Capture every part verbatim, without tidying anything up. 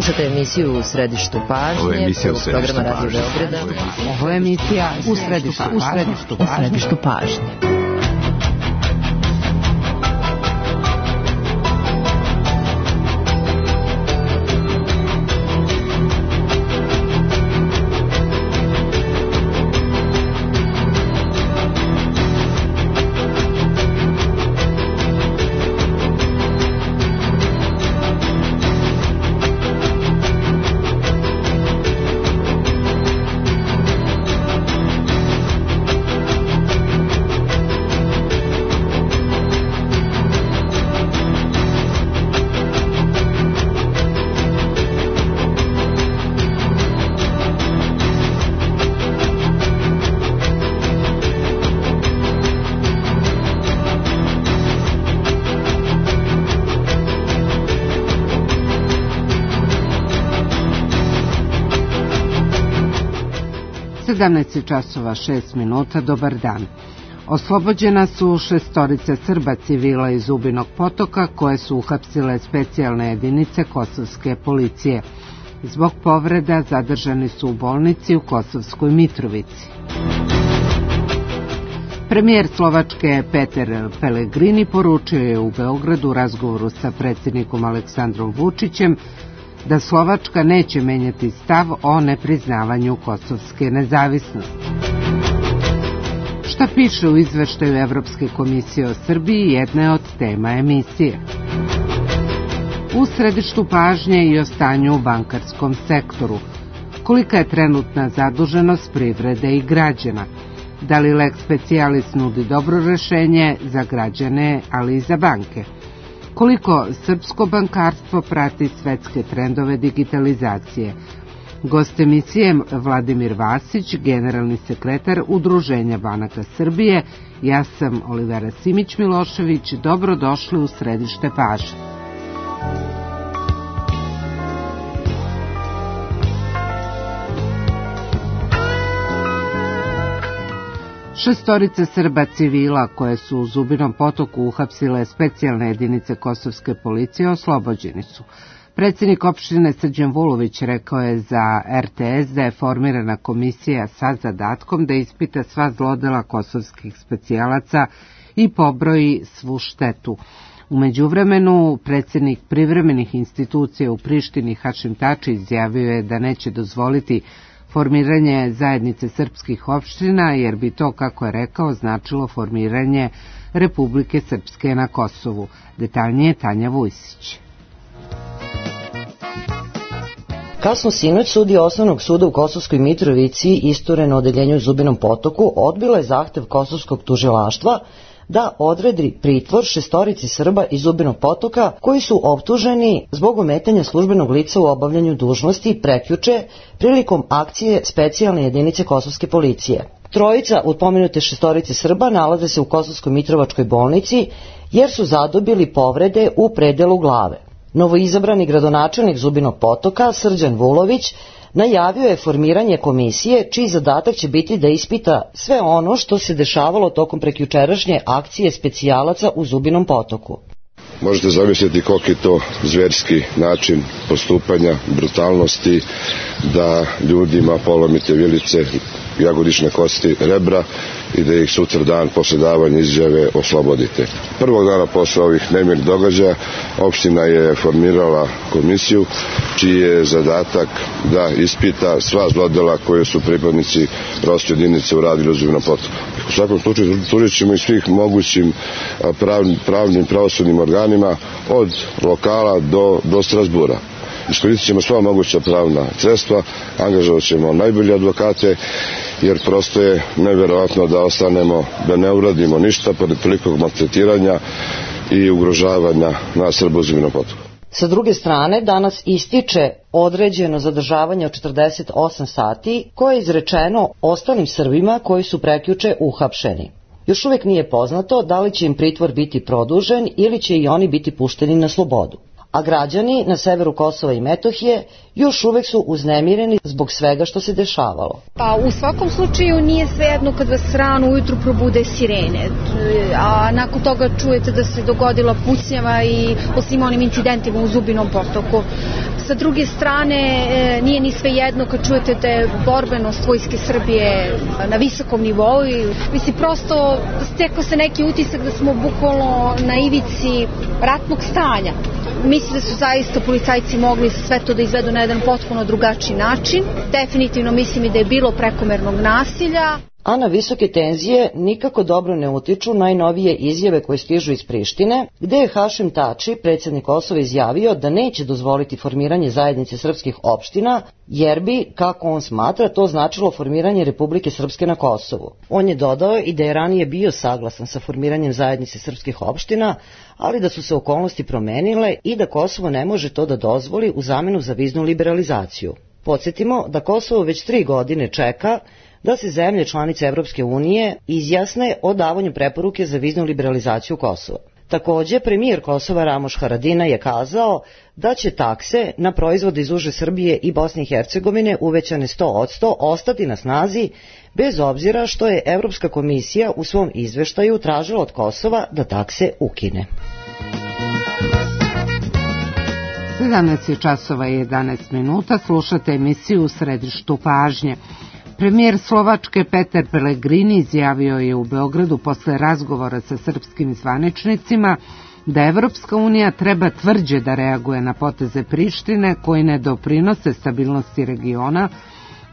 Slušate emisiju U središtu pažnje. Ovo je emisija U središtu programa Radio pažnje. Beograda. Ovo je emisija U središtu U središtu, u središtu pažnje. sedamnaest časova šest minuta, dobar dan. Oslobođena su šestorica Srba civila iz Zubinog Potoka koje su uhapsile specijalne jedinice kosovske policije. Zbog povreda zadržani su u bolnici u Kosovskoj Mitrovici. Premijer Slovačke Peter Pellegrini poručio je u Beogradu u razgovoru sa predsjednikom Aleksandrom Vučićem da Slovačka neće menjati stav o nepriznavanju kosovske nezavisnosti. Šta piše u izveštaju Evropske komisije o Srbiji jedna je od tema emisije. U središtu pažnje i o stanju u bankarskom sektoru. Kolika je trenutna zaduženost privrede i građana? Da li lex specialis nudi dobro rešenje za građane, ali i za banke? Koliko srpsko bankarstvo prati svetske trendove digitalizacije? Gost emisije Vladimir Vasić, generalni sekretar Udruženja banaka Srbije. Ja sam Olivera Simić-Milošević. Dobrodošli u središte pažnje. Šestorice Srba civila koje su u Zubinom Potoku uhapsile specijalne jedinice kosovske policije oslobođeni su. Predsjednik opštine Srđan Vulović rekao je za er te es da je formirana komisija sa zadatkom da ispita sva zlodela kosovskih specijalaca i pobroji svu štetu. U međuvremenu, predsjednik privremenih institucija u Prištini Hašim Tači izjavio je da neće dozvoliti formiranje zajednice srpskih opština, jer bi to, kako je rekao, značilo formiranje Republike Srpske na Kosovu. Detaljnije Tanja Vujsić. Kasno sinoć sudija Osnovnog suda u Kosovskoj Mitrovici, istureno odeljenju u Zubinom Potoku, odbila je zahtev kosovskog tužilaštva da odredi pritvor šestorici Srba iz Zubinog Potoka koji su optuženi zbog ometanja službenog lica u obavljanju dužnosti prekjuče prilikom akcije specijalne jedinice kosovske policije. Trojica od pomenute šestorice Srba nalaze se u Kosovskoj Mitrovačkoj bolnici jer su zadobili povrede u predelu glave. Novoizabrani gradonačelnik Zubinog Potoka, Srđan Vulović, najavio je formiranje komisije čiji zadatak će biti da ispita sve ono što se dešavalo tokom prekjučerašnje akcije specijalaca u Zubinom Potoku. Možete zamisliti koliki je to zverski način postupanja, brutalnosti, da ljudima polomite vilice, jagodične kosti, rebra i da ih sutra dan posle davanja izjave oslobodite. Prvog dana posle ovih nemirnih događaja opština je formirala komisiju čiji je zadatak da ispita sva zlodela koje su pripadnici rovske jedinice uradili u Zubinom Potoku. U svakom slučaju tužit ćemo i svih mogućim pravnim, pravnim pravosudnim organima od lokala do, do Strasbura. Iskoristit ćemo sva moguća pravna sredstva, angažovat ćemo najbolje advokate, jer prosto je neverovatno da ostanemo, da ne uradimo ništa pored tolikog maltretiranja i ugrožavanja na Srba u Zubinom Potoku. Sa druge strane, danas ističe određeno zadržavanje od četrdeset osam sati koje je izrečeno ostalim Srbima koji su prekjuče uhapšeni. Još uvijek nije poznato da li će im pritvor biti produžen ili će i oni biti pušteni na slobodu. A građani na severu Kosova i Metohije još uvek su uznemireni zbog svega što se dešavalo. Pa u svakom slučaju nije svejedno kad vas rano ujutru probude sirene, a nakon toga čujete da se dogodila pucnjava i po svim onim incidentima u Zubinom Potoku. Sa druge strane, nije ni sve jedno kad čujete da je borbenost Vojske Srbije na visokom nivou i mislim prosto stekao se neki utisak da smo bukvalno na ivici ratnog stanja. Mislim da su zaista policajci mogli sve to da izvedu na jedan potpuno drugačiji način. Definitivno mislim i da je bilo prekomernog nasilja. A na visoke tenzije nikako dobro ne utiču najnovije izjave koje stižu iz Prištine, gde je Hašim Tači, predsjednik Kosova, izjavio da neće dozvoliti formiranje zajednice srpskih opština, jer bi, kako on smatra, to značilo formiranje Republike Srpske na Kosovu. On je dodao i da je ranije bio saglasan sa formiranjem zajednice srpskih opština, ali da su se okolnosti promenile i da Kosovo ne može to da dozvoli u zamenu za viznu liberalizaciju. Podsjetimo da Kosovo već tri godine čeka da se zemlje članice Evropske unije izjasne o davanju preporuke za viznu liberalizaciju Kosova. Takođe, premijer Kosova Ramoš Haradinaj je kazao da će takse na proizvode iz uže Srbije i Bosne i Hercegovine uvećane sto posto ostati na snazi, bez obzira što je Evropska komisija u svom izveštaju tražila od Kosova da takse ukine. sedamnaest časova i jedanaest minuta, slušate emisiju U središtu pažnje. Premijer Slovačke Peter Pellegrini izjavio je u Beogradu posle razgovora sa srpskim zvaničnicima da Evropska unija treba tvrđe da reaguje na poteze Prištine koji ne doprinose stabilnosti regiona,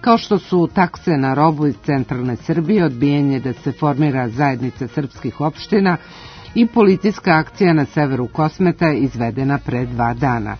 kao što su takse na robu iz centralne Srbije, odbijanje da se formira zajednica srpskih opština i policijska akcija na severu Kosmeta izvedena pre dva dana.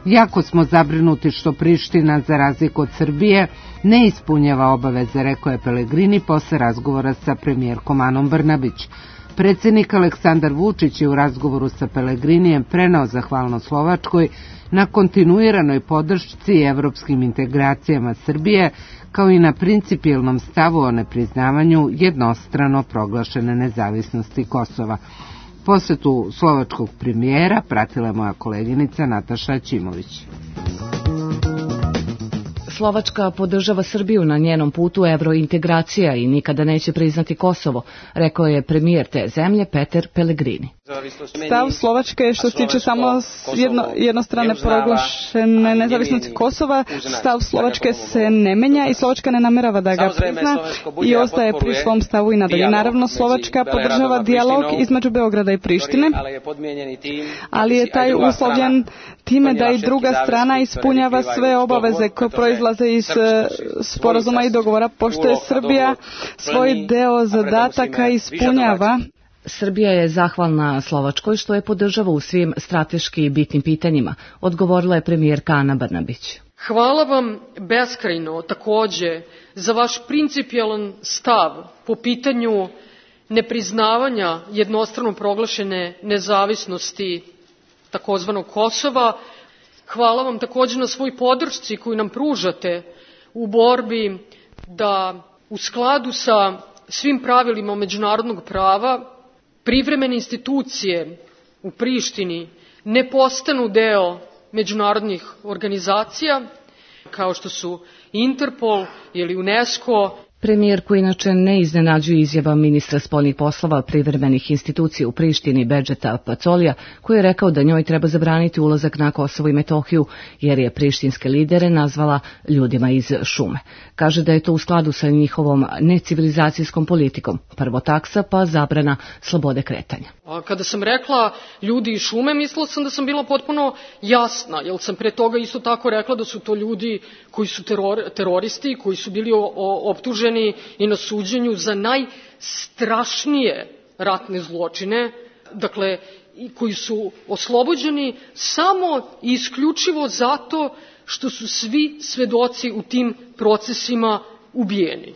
Jako smo zabrinuti što Priština, za razliku od Srbije, ne ispunjava obaveze, rekao je Pellegrini posle razgovora sa premijerkom Anom Brnabić. Predsjednik Aleksandar Vučić je u razgovoru sa Pellegrinijem preneo zahvalnost Slovačkoj na kontinuiranoj podršci evropskim integracijama Srbije, kao i na principijelnom stavu o nepriznavanju jednostrano proglašene nezavisnosti Kosova. Posetu slovačkog premijera pratila je moja koleginica Nataša Ćimović. Slovačka podržava Srbiju na njenom putu evrointegracija i nikada neće priznati Kosovo, rekao je premijer te zemlje Peter Pellegrini. Stav Slovačke je što se tiče samo jedno, jednostrane proglašene nezavisnosti Kosova, stav Slovačke se ne menja i Slovačka ne namerava da ga prizna i ostaje pri svom stavu i nadalje. Naravno, Slovačka podržava dijalog između Beograda i Prištine, ali je taj uslovljen time da i druga strana ispunjava sve obaveze koje proizlaze iz sporazuma i dogovora, pošto je Srbija svoj deo zadataka ispunjava. Srbija je zahvalna Slovačkoj što je podržava u svim strateški bitnim pitanjima, odgovorila je premijerka Ana Brnabić. Hvala vam beskrajno takođe za vaš principijelan stav po pitanju nepriznavanja jednostrano proglašene nezavisnosti takozvanog Kosova. Hvala vam takođe na svoj podršci koju nam pružate u borbi da u skladu sa svim pravilima međunarodnog prava privremene institucije u Prištini ne postanu deo međunarodnih organizacija kao što su Interpol ili UNESCO. Premijerku inače ne iznenađuje izjava ministra spoljnih poslova privremenih institucija u Prištini Bedžeta Pacolija, koji je rekao da njoj treba zabraniti ulazak na Kosovo i Metohiju, jer je prištinske lidere nazvala ljudima iz šume. Kaže da je to u skladu sa njihovom necivilizacijskom politikom. Prvo taksa, pa zabrana slobode kretanja. A kada sam rekla ljudi iz šume, mislila sam da sam bila potpuno jasna, jer sam pre toga isto tako rekla da su to ljudi koji su teror, teroristi, koji su bili o, o, optuženi i na suđenju za najstrašnije ratne zločine, dakle, koji su oslobođeni samo i isključivo zato što su svi svedoci u tim procesima ubijeni.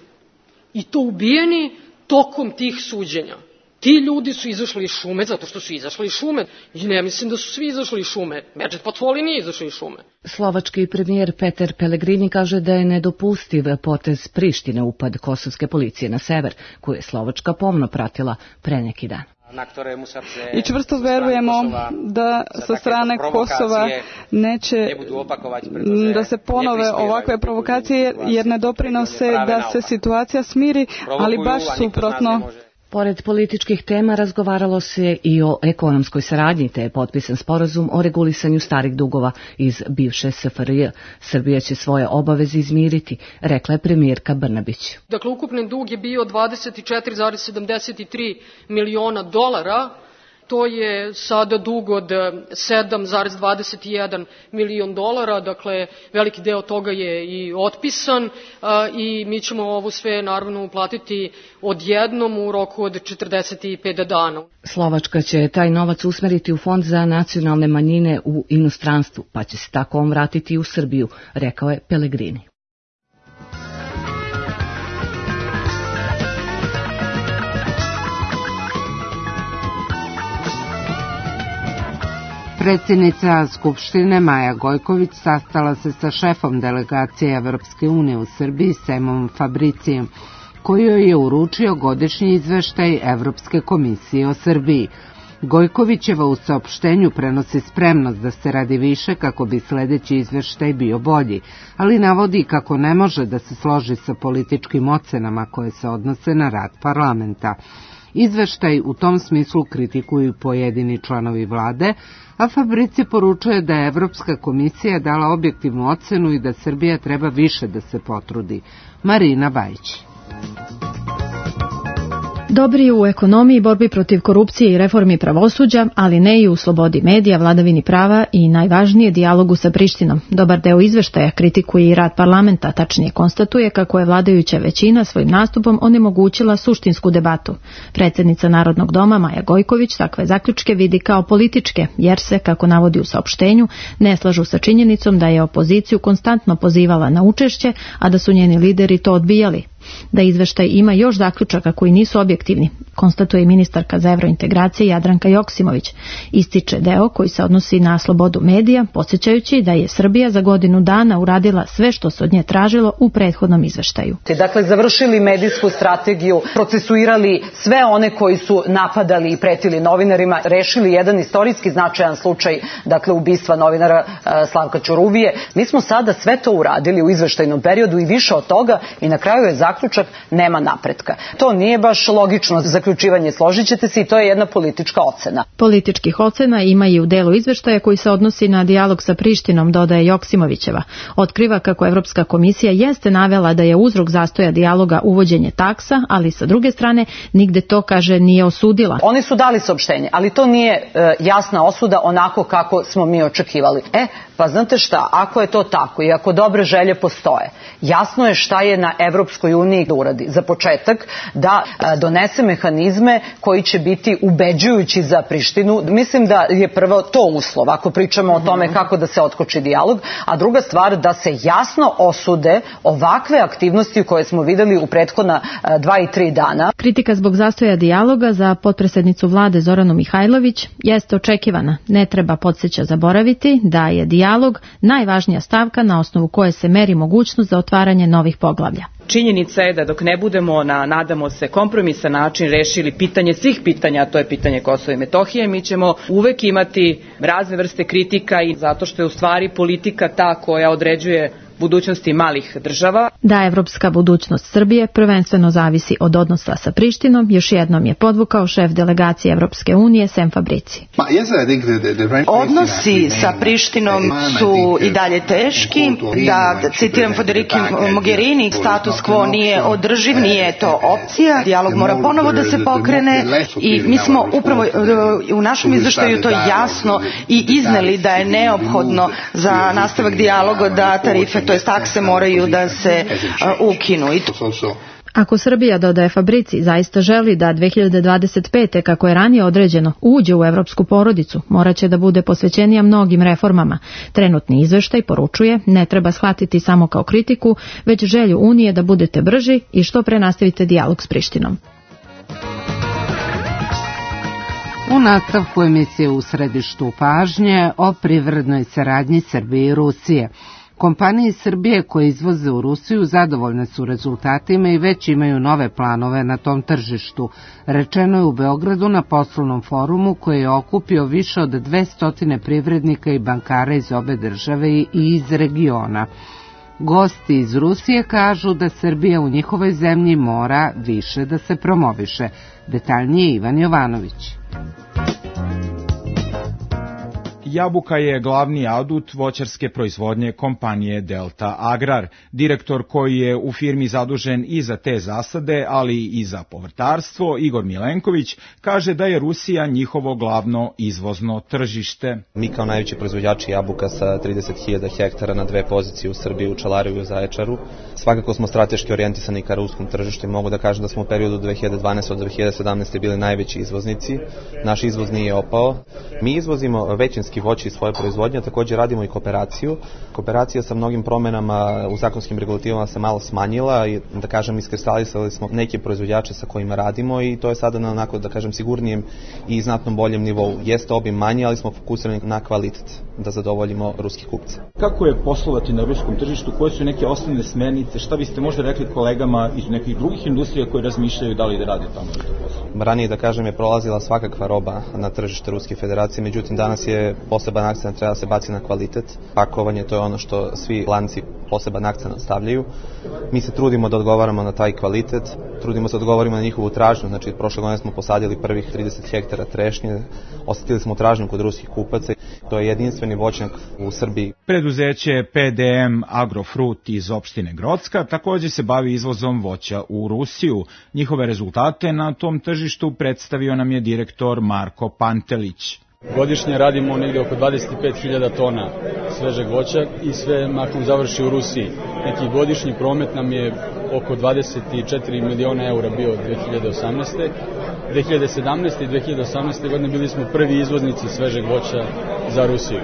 I to ubijeni tokom tih suđenja. Ti ljudi su izašli iz šume zato što su izašli iz šume. I ne mislim da su svi izašli iz šume. Bedžet Pacoli nije izašli iz šume. Slovački premijer Peter Pellegrini kaže da je nedopustiv potez Prištine upad kosovske policije na sever, koju je Slovačka pomno pratila pre neki dan. I čvrsto verujemo da sa strane Kosova neće da se ponove ovakve provokacije jer ne doprinose da se situacija smiri, ali baš suprotno. Pored političkih tema razgovaralo se i o ekonomskoj saradnji, te je potpisan sporazum o regulisanju starih dugova iz bivše S F R J. Srbija će svoje obaveze izmiriti, rekla je premijerka Brnabić. Dakle, ukupni dug je bio dvadeset četiri zarez sedamdeset tri miliona dolara, to je sada dug od sedam zarez dvadeset jedan milion dolara, dakle veliki deo toga je i otpisan i mi ćemo ovo sve naravno uplatiti odjednom u roku od četrdeset pet dana. Slovačka će taj novac usmeriti u Fond za nacionalne manjine u inostranstvu, pa će se tako on vratiti u Srbiju, rekao je Pellegrini. Predsjednica Skupštine Maja Gojković sastala se sa šefom delegacije Evropske unije u Srbiji Semom Fabricijem, koji joj je uručio godišnji izveštaj Evropske komisije o Srbiji. Gojkovićeva u saopštenju prenosi spremnost da se radi više kako bi sledeći izveštaj bio bolji, ali navodi kako ne može da se složi sa političkim ocenama koje se odnose na rad parlamenta. Izveštaj u tom smislu kritikuju pojedini članovi vlade, a Fabrici poručuje da je Evropska komisija dala objektivnu ocenu i da Srbija treba više da se potrudi. Marina Bajić. Dobri u ekonomiji, borbi protiv korupcije i reformi pravosuđa, ali ne i u slobodi medija, vladavini prava i najvažnije dijalogu sa Prištinom. Dobar deo izveštaja kritikuje i rad parlamenta, tačnije konstatuje kako je vladajuća većina svojim nastupom onemogućila suštinsku debatu. Predsjednica Narodnog doma Maja Gojković takve zaključke vidi kao političke, jer se, kako navodi u saopštenju, ne slažu sa činjenicom da je opoziciju konstantno pozivala na učešće, a da su njeni lideri to odbijali. Da izveštaj ima još zaključaka koji nisu objektivni, konstatuje ministarka za evrointegracije Jadranka Joksimović. Ističe deo koji se odnosi na slobodu medija, podsjećajući da je Srbija za godinu dana uradila sve što se od nje tražilo u prethodnom izveštaju. Dakle, završili medijsku strategiju, procesuirali sve one koji su napadali i pretili novinarima, rešili jedan istorijski značajan slučaj, dakle ubistva novinara Slavka Ćuruvije. Mi smo sada sve to uradili u izveštajnom periodu i više od toga i na kraju je zaključak nema napretka. To nije baš logično zaključivanje, složit ćete se, i to je jedna politička ocena. Političkih ocena ima i u delu izveštaja koji se odnosi na dijalog sa Prištinom, dodaje Joksimovićeva. Otkriva kako Evropska komisija jeste navela da je uzrok zastoja dijaloga uvođenje taksa, ali sa druge strane nigde to, kaže, nije osudila. Oni su dali saopštenje, ali to nije e, jasna osuda onako kako smo mi očekivali. E, pa znate šta, ako je to tako i ako dobre želje postoje, jasno je šta je na Evropskoj uniji da uradi. Za početak da e, donese mehanizme koji će biti ubeđujući za Prištinu. Mislim da je prvo to uslov, ako pričamo o tome kako da se otkoči dijalog, a druga stvar da se jasno osude ovakve aktivnosti koje smo videli u prethodna e, dva i tri dana. Kritika zbog zastoja dijaloga za potpredsjednicu vlade Zoranu Mihajlović jeste očekivana. Ne treba, podsjeća, zaboraviti da je dijalog najvažnija stavka na osnovu koje se meri mogućnost za otvaranje novih poglavlja. Činjenica je da dok ne budemo na, nadamo se, kompromisan način rešili pitanje svih pitanja, a to je pitanje Kosova i Metohije, mi ćemo uvek imati razne vrste kritika i zato što je u stvari politika ta koja određuje budućnosti malih država. Da evropska budućnost Srbije prvenstveno zavisi od odnosa sa Prištinom, još jednom je podvukao šef delegacije Evropske unije Sem Fabrici. Odnosi sa Prištinom su i dalje teški, da citiram Federiki Mogherini, status quo nije održiv, nije to opcija, dijalog mora ponovo da se pokrene i mi smo upravo u našem izveštaju to jasno i izneli da je neophodno za nastavak dijaloga da tarife, to je takse, moraju da se uh, ukinu. Ako Srbija, dodaje Fabrici, zaista želi da dve hiljade dvadeset pete, kako je ranije određeno, uđe u evropsku porodicu, moraće da bude posvećenija mnogim reformama. Trenutni izveštaj, poručuje, ne treba shvatiti samo kao kritiku, već želju Unije da budete brži i što pre nastavite dijalog s Prištinom. U nastavku emisije U središtu pažnje o privrednoj saradnji Srbije i Rusije. Kompanije iz Srbije koje izvoze u Rusiju zadovoljne su rezultatima i već imaju nove planove na tom tržištu, rečeno je u Beogradu na poslovnom forumu koji je okupio više od dvesta privrednika i bankara iz obe države i iz regiona. Gosti iz Rusije kažu da Srbija u njihovoj zemlji mora više da se promoviše. Detaljnije Ivan Jovanović. Jabuka je glavni adut voćarske proizvodnje kompanije Delta Agrar. Direktor koji je u firmi zadužen i za te zasade, ali i za povrtarstvo, Igor Milenković, kaže da je Rusija njihovo glavno izvozno tržište. Mi kao najveći proizvođači jabuka sa trideset hiljada hektara na dve pozicije u Srbiji, u Čelaru i u Zaječaru, svakako smo strateški orijentisani ka ruskom tržištu i mogu da kažem da smo u periodu dve hiljade dvanaeste do dve hiljade sedamnaeste bili najveći izvoznici. Naš izvoz nije opao. Mi izvozimo većinski voće iz svoje proizvodnje, također radimo i kooperaciju. Kooperacija sa mnogim promenama u zakonskim regulativama se malo smanjila i, da kažem, iskristalisali smo neke proizvođače sa kojima radimo i to je sada na onako, da kažem, sigurnijem i znatno boljem nivou. Jeste obim manji, ali smo fokusirani na kvalitet da zadovoljimo ruskih kupce. Kako je poslovati na ruskom tržištu? Koje su neke osnovne smernice? Šta biste možda rekli kolegama iz nekih drugih industrija koji razmišljaju da li da rade tamo što posao? Ranije, da kažem, je prolazila svakakva roba na tržište Ruske federacije, međutim danas je poseban akcent treba se baci na kvalitet. Pakovanje, to je ono što svi lanci poseban akcent stavljaju. Mi se trudimo da odgovaramo na taj kvalitet, trudimo se da odgovorimo na njihovu tražnju, znači prošle godine smo posadili prvih trideset hektara trešnje, osetili smo tražnju kod ruskih kupaca, to je jedinstveni voćnjak u Srbiji. Preduzeće P D M Agrofrut iz opštine Grocka također se bavi izvozom voća u Rusiju. Njihove rezultate na tom tržištu predstavio nam je direktor Marko Pantelić. Godišnje radimo negdje oko dvadeset pet hiljada tona svežeg voća i sve mahom završi u Rusiji. Neki godišnji promet nam je oko dvadeset četiri miliona eura bio dve hiljade osamnaeste. dve hiljade sedamnaeste i dve hiljade osamnaeste. godine bili smo prvi izvoznici svežeg voća za Rusiju.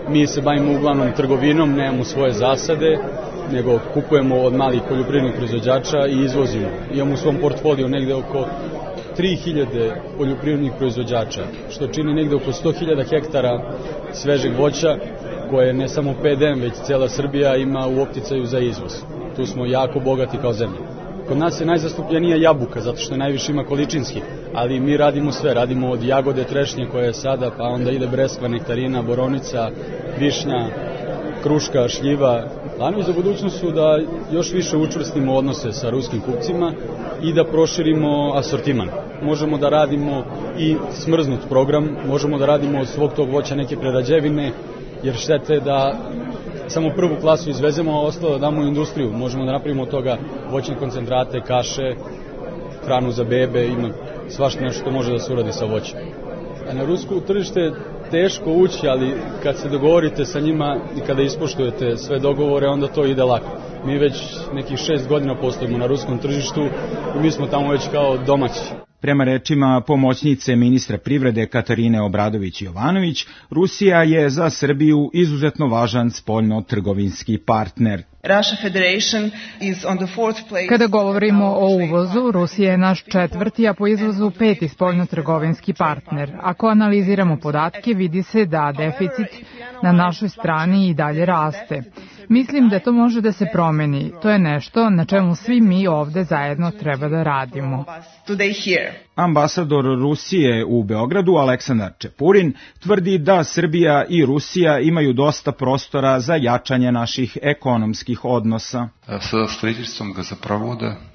Mi se bavimo uglavnom trgovinom, nemamo svoje zasade, nego kupujemo od malih poljoprivrednih proizvođača i izvozimo. Imamo u svom portfoliju negdje oko tri hiljade poljoprivrednih proizvođača, što čini negdje oko sto hiljada hektara svežeg voća, koje ne samo P D M, već cijela Srbija ima u opticaju za izvoz. Tu smo jako bogati kao zemlja. Kod nas je najzastupljenija jabuka, zato što je najviše ima količinski, ali mi radimo sve, radimo od jagode, trešnje koja je sada, pa onda ide breskva, nektarina, boronica, višnja, kruška, šljiva. Planovi za budućnost su da još više učvrstimo odnose sa ruskim kupcima i da proširimo asortiman. Možemo da radimo i smrznut program, možemo da radimo od svog tog voća neke prerađevine, jer štete da samo prvu klasu izvezemo, a ostalo da damo u industriju. Možemo da napravimo od toga voćne koncentrate, kaše, hranu za bebe, ima svašta nešto što može da se uradi sa voćem. A na rusko tržište teško ući, ali kad se dogovorite sa njima i kada ispoštujete sve dogovore, onda to ide lako. Mi već nekih šest godina postojimo na ruskom tržištu i mi smo tamo već kao domaći. Prema rečima pomoćnice ministra privrede Katarine Obradović-Jovanović, Rusija je za Srbiju izuzetno važan spoljno-trgovinski partner. Kada govorimo o uvozu, Rusija je naš četvrti, a po izvozu peti spoljno-trgovinski partner. Ako analiziramo podatke, vidi se da deficit na našoj strani i dalje raste. Mislim da to može da se promeni. To je nešto na čemu svi mi ovde zajedno treba da radimo. Ambasador Rusije u Beogradu, Aleksandar Čepurin, tvrdi da Srbija i Rusija imaju dosta prostora za jačanje naših ekonomskih odnosa.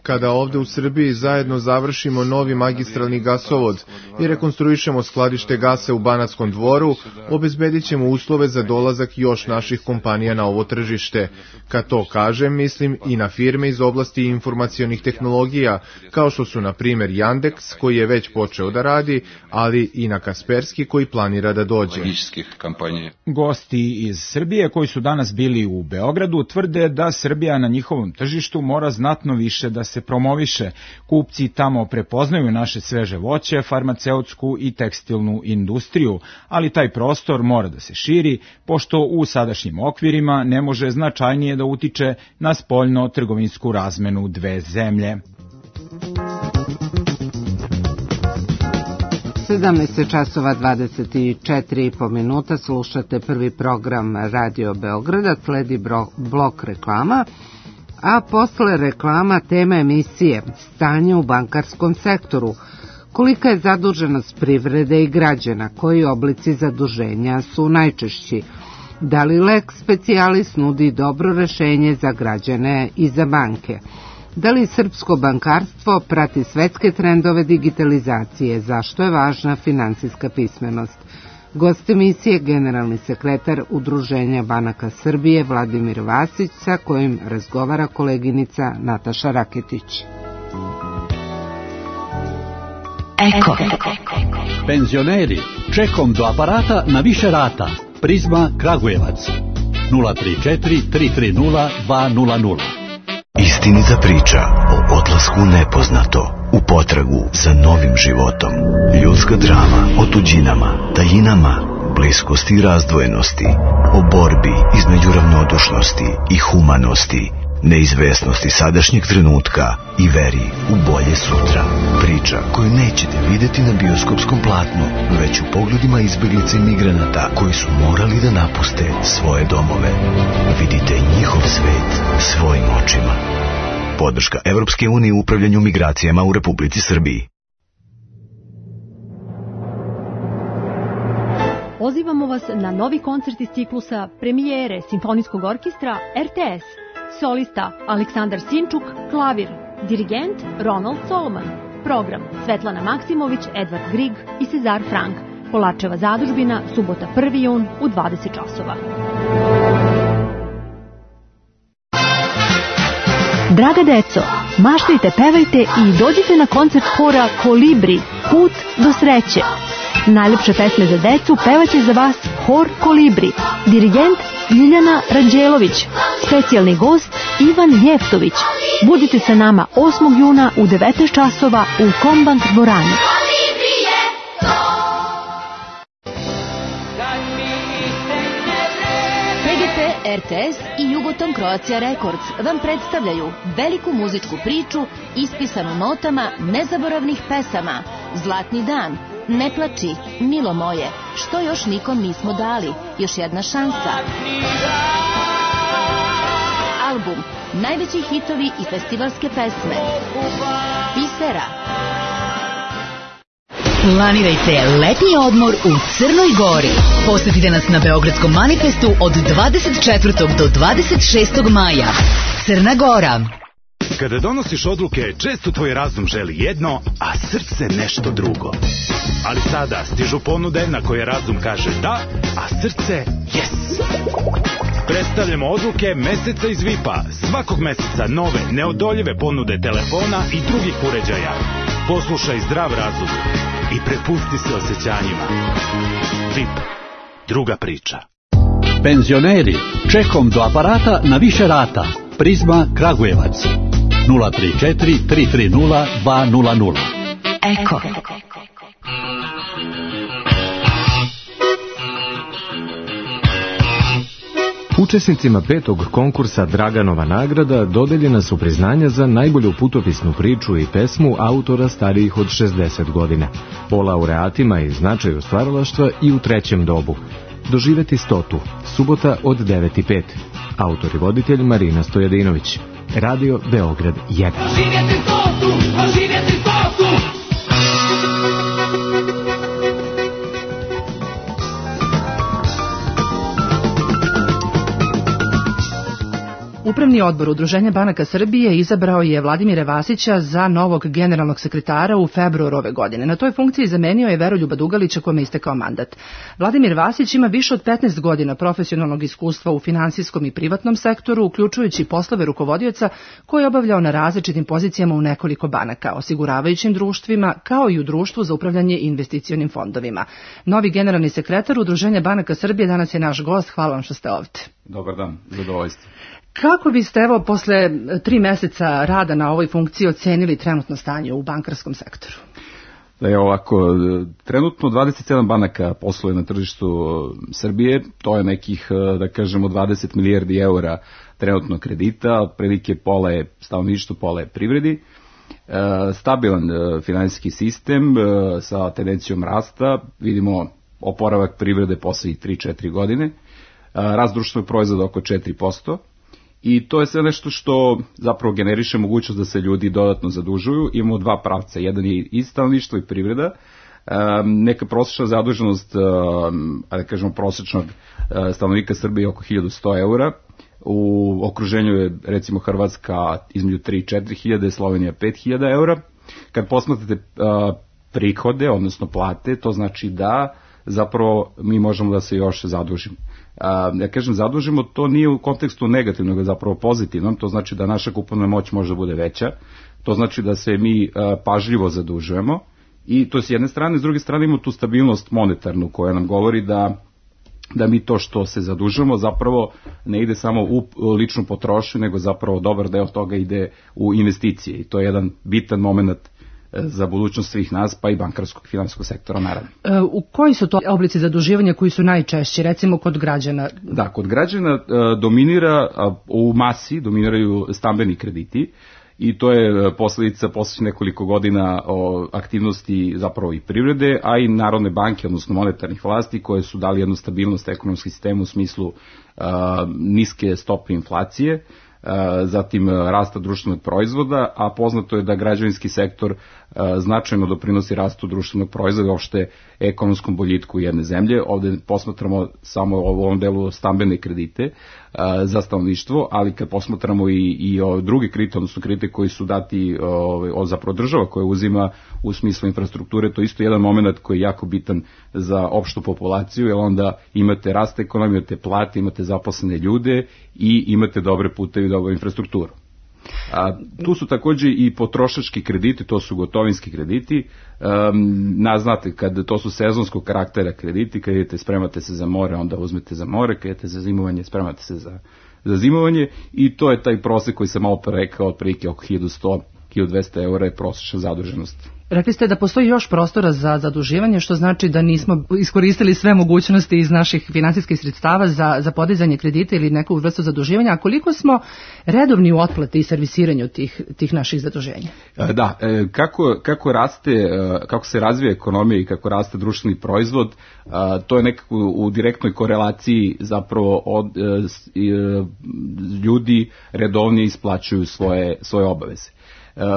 Kada ovde u Srbiji zajedno završimo novi magistralni gasovod i rekonstruišemo skladište gasa u Banatskom dvoru, obezbedit ćemo uslove za dolazak još naših kompanija na ovo tržište. Kad to kažem, mislim i na firme iz oblasti informacionih tehnologija, kao što su na primjer Yandex, koji je već počeo da radi, ali i na Kasperski, koji planira da dođe. Gosti iz Srbije koji su danas bili u Beogradu tvrde da Srbija na njihovom tržištu mora znatno više da se promoviše. Kupci tamo prepoznaju naše sveže voće, farmaceutsku i tekstilnu industriju, ali taj prostor mora da se širi, pošto u sadašnjim okvirima ne može značajnije da utiče na spoljno-trgovinsku razmenu dve zemlje. sedamnaest časova dvadeset četiri i po minuta, slušate prvi program Radio Beograda, sledi blok reklama, a posle reklama tema emisije Stanje u bankarskom sektoru. Kolika je zaduženost privrede i građana, koji oblici zaduženja su najčešći? Da li lex specialis nudi dobro rešenje za građane i za banke? Da li srpsko bankarstvo prati svetske trendove digitalizacije? Zašto je važna finansijska pismenost? Gost emisije generalni sekretar Udruženja banaka Srbije Vladimir Vasić, sa kojim razgovara koleginica Nataša Raketić. Eko. Penzioneri, čekom do aparata na više rata. Prizma Kragujevac. nula tri četiri tri tri nula dva nula nula. Istinita priča o odlasku u nepoznato, u potragu za novim životom. Ljudska drama o tuđinama, tajinama, bliskosti i razdvojenosti, o borbi između ravnodušnosti i humanosti, neizvesnosti sadašnjeg trenutka i veri u bolje sutra. Priča koju nećete vidjeti na bioskopskom platnu, već u pogledima izbjeglica i migranata koji su morali da napuste svoje domove. Vidite njihov svet svojim očima. Podrška Evropske unije u upravljanju migracijama u Republici Srbiji. Pozivamo vas na novi koncert iz ciklusa premijere Simfonijskog orkestra R T S. Solista Aleksandar Sinčuk, klavir, dirigent Ronald Solomon, program Svetlana Maksimović, Edvard Grig i Cezar Frank, Polačeva zadužbina, subota prvi jun u dvadeset časova. Draga deco, maštajte, pevajte i dođite na koncert hora Kolibri, Put do sreće. Najlepše pesme za decu pevaće za vas hor Kolibri, dirigent Ljiljana Ranđelović, specijalni gost Ivan Jeftović. Budite sa nama osmog juna u devetnaest časova u Kombank dvorani. P G P, R T S i Jugoton Croatia Records vam predstavljaju veliku muzičku priču ispisanu notama nezaboravnih pesama. Zlatni dan, Ne plači, milo moje, što još nikom nismo dali, još jedna šansa. Album, najveći hitovi i festivalske pesme. Pisera. Planirajte letnji odmor u Crnoj Gori. Posetite nas na Beogradskom manifestu od dvadeset četvrtog do dvadeset šestog maja. Crna Gora. Kada donosiš odluke, često tvoj razum želi jedno, a srce nešto drugo. Ali sada stižu ponude na koje razum kaže da, a srce yes. Predstavljamo odluke meseca iz V I P-a. Svakog meseca nove, neodoljive ponude telefona i drugih uređaja. Poslušaj zdrav razum i prepusti se osjećanjima. V I P. Druga priča. Penzioneri, čekom do aparata na više rata. Prizma Kragujevac. nula tri četiri tri tri nula dva nula nula. Eko. Učesnicima petog konkursa Draganova nagrada dodeljena su priznanja za najbolju putopisnu priču i pesmu autora starijih od šezdeset godina. Po laureatima i značaju stvaralaštva i u trećem dobu. Doživeti stotu, subota od devet i pet. Autor i voditelj Marina Stojadinović. Radio Beograd jedan. Doživjeti stotu, doživjeti stotu. Upravni odbor Udruženja banaka Srbije izabrao je Vladimira Vasića za novog generalnog sekretara u februaru ove godine. Na toj funkciji zamenio je Veroljuba Dugalića kome je istekao mandat. Vladimir Vasić ima više od petnaest godina profesionalnog iskustva u finansijskom i privatnom sektoru, uključujući poslove rukovodioca koje je obavljao na različitim pozicijama u nekoliko banaka, osiguravajućim društvima, kao i u društvu za upravljanje investicionim fondovima. Novi generalni sekretar Udruženja banaka Srbije danas je naš gost. Hvala vam što ste ovdje. Dobar dan, zadovoljstvo. Kako biste, evo, posle tri meseca rada na ovoj funkciji ocenili trenutno stanje u bankarskom sektoru? Da je ovako, trenutno dvadeset sedam banaka posluje na tržištu Srbije, to je nekih, da kažemo, dvadeset milijardi eura trenutno kredita, prilike pola je stanovništvo, pola je privredi. Stabilan finansijski sistem sa tendencijom rasta, vidimo oporavak privrede poslednjih tri do četiri godine, rast društvenog proizvoda oko četiri posto. I to je sve nešto što zapravo generiše mogućnost da se ljudi dodatno zadužuju. Imamo dva pravca, jedan je i stanovništvo i privreda, Neka prosječna zaduženost, da kažemo prosječnog stanovnika Srbije je oko hiljadu sto eura, u okruženju je recimo Hrvatska između tri do četiri hiljade, Slovenija pet hiljada eura. Kad posmatrate prihode, odnosno plate, to znači da zapravo mi možemo da se još zadužimo. Ja kažem zadužimo, to nije u kontekstu negativnog, nego zapravo pozitivnom, to znači da naša kupovna moć može da bude veća, to znači da se mi pažljivo zadužujemo i to s jedne strane, s druge strane imamo tu stabilnost monetarnu koja nam govori da da mi to što se zadužujemo zapravo ne ide samo u ličnu potrošnju, nego zapravo dobar deo toga ide u investicije i to je jedan bitan moment za budućnost svih nas, pa i bankarskog i finansijskog sektora, naravno. E, u koji su to oblici zaduživanja koji su najčešći, recimo kod građana? Da, kod građana a, dominira, a, u masi dominiraju stambeni krediti i to je posledica posljednjih nekoliko godina o aktivnosti zapravo i privrede, a i Narodne banke, odnosno monetarnih vlasti, koje su dali jednu stabilnost ekonomskom sistemu u smislu a, niske stope inflacije, zatim rasta društvenog proizvoda, a poznato je da građevinski sektor značajno doprinosi rastu društvenog proizvoda i uopšte ekonomskom boljitku jedne zemlje. Ovde posmatramo samo u ovom delu stambene kredite za stanovništvo, ali kad posmatramo i, i druge kredite, odnosno kredite koji su dati o, zapravo država koja uzima u smislu infrastrukture, to je isto jedan moment koji je jako bitan za opštu populaciju, jer onda imate rast ekonomije, imate plate, imate zaposlene ljude i imate dobre puteve i dobru infrastrukturu. A, tu su takođe i potrošački krediti, to su gotovinski krediti. Um, na, znate, kad to su sezonskog karaktera krediti, kad idete spremate se za more, onda uzmete za more, kad idete za zimovanje, spremate se za, za zimovanje i to je taj prosek koji sam malo rekao, otprilike oko hiljadu sto do hiljadu dvesta eura je prosječna zaduženost. Rekli ste da postoji još prostora za zaduživanje, što znači da nismo iskoristili sve mogućnosti iz naših finansijskih sredstava za, za podizanje kredita ili neku vrstu zaduživanja, a koliko smo redovni u otplati i servisiranju tih, tih naših zaduženja? Da, kako, kako raste, kako se razvija ekonomija i kako raste društveni proizvod, to je nekako u direktnoj korelaciji zapravo od ljudi redovnije isplaćuju svoje, svoje obaveze.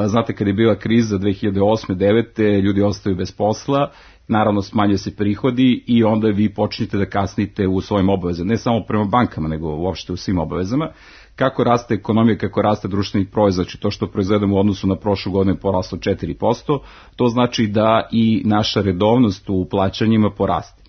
Znate, kad je bila kriza dve hiljade osme devete ljudi ostaju bez posla, naravno smanjuje se prihodi i onda vi počnete da kasnite u svojim obavezama, ne samo prema bankama, nego uopšte u svim obavezama. Kako raste ekonomija, kako raste društveni proizvod, znači to što proizvedemo u odnosu na prošlu godinu je poraslo četiri posto, to znači da i naša redovnost u plaćanjima poraste.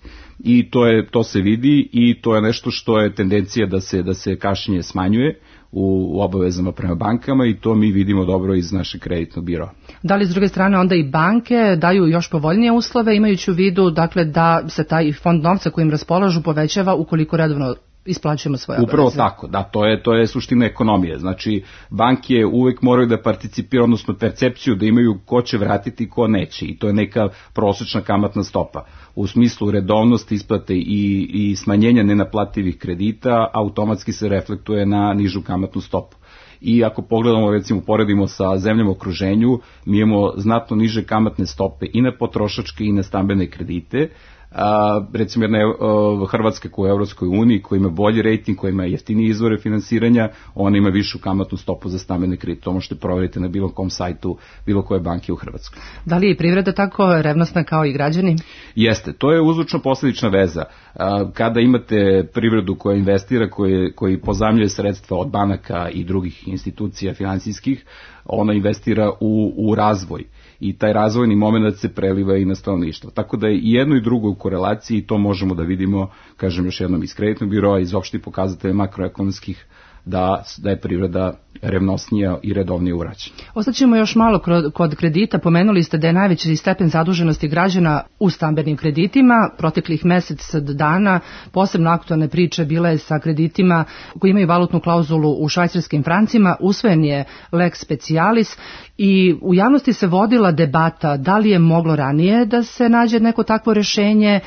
I to je to se vidi i to je nešto što je tendencija da se da se kašnjenje smanjuje u obavezama prema bankama i to mi vidimo dobro iz našeg kreditnog biroa. Da li s druge strane onda i banke daju još povoljnije uslove, imajući u vidu dakle da se taj fond novca kojim raspolažu povećava ukoliko redovno isplaćujemo svoje obaveze? Upravo tako, da, to je, to je suština ekonomije. Znači, banke uvek moraju da participiraju, odnosno percepciju da imaju ko će vratiti i ko neće i to je neka prosječna kamatna stopa. U smislu redovnosti isplate i, i smanjenja nenaplativih kredita automatski se reflektuje na nižu kamatnu stopu. I ako pogledamo, recimo, poredimo sa zemljama u okruženju, mi imamo znatno niže kamatne stope i na potrošačke i na stambene kredite. A, recimo jedna uh, Hrvatska koja je u Evropskoj uniji, koja ima bolji rejting, koja ima jeftinije izvore finansiranja, ona ima višu kamatnu stopu za stambene kredite. To možete provjeriti na bilo kom sajtu, bilo koje banke u Hrvatskoj. Da li je privreda tako revnosna kao i građani? Jeste, to je uzročno-posledična veza. A, kada imate privredu koja investira, koje, koji pozajmljuje sredstva od banaka i drugih institucija finansijskih, ona investira u, u razvoj. I taj razvojni moment se preliva i na stanovništvo. Tako da je i jedno i drugo u korelaciji i to možemo da vidimo, kažem još jednom, iz kreditnog biroa, iz opštih pokazatelja makroekonomskih, da, da je privreda revnosnija i redovnije u vraćanju. Ostaćemo još malo kod kredita. Pomenuli ste da je najveći stepen zaduženosti građana u stambenim kreditima. Proteklih mesec dana posebno aktualne priče bila je sa kreditima koji imaju valutnu klauzulu u švajcarskim francima. Usvojen je lex specialis i u javnosti se vodila debata da li je moglo ranije da se nađe neko takvo rešenje,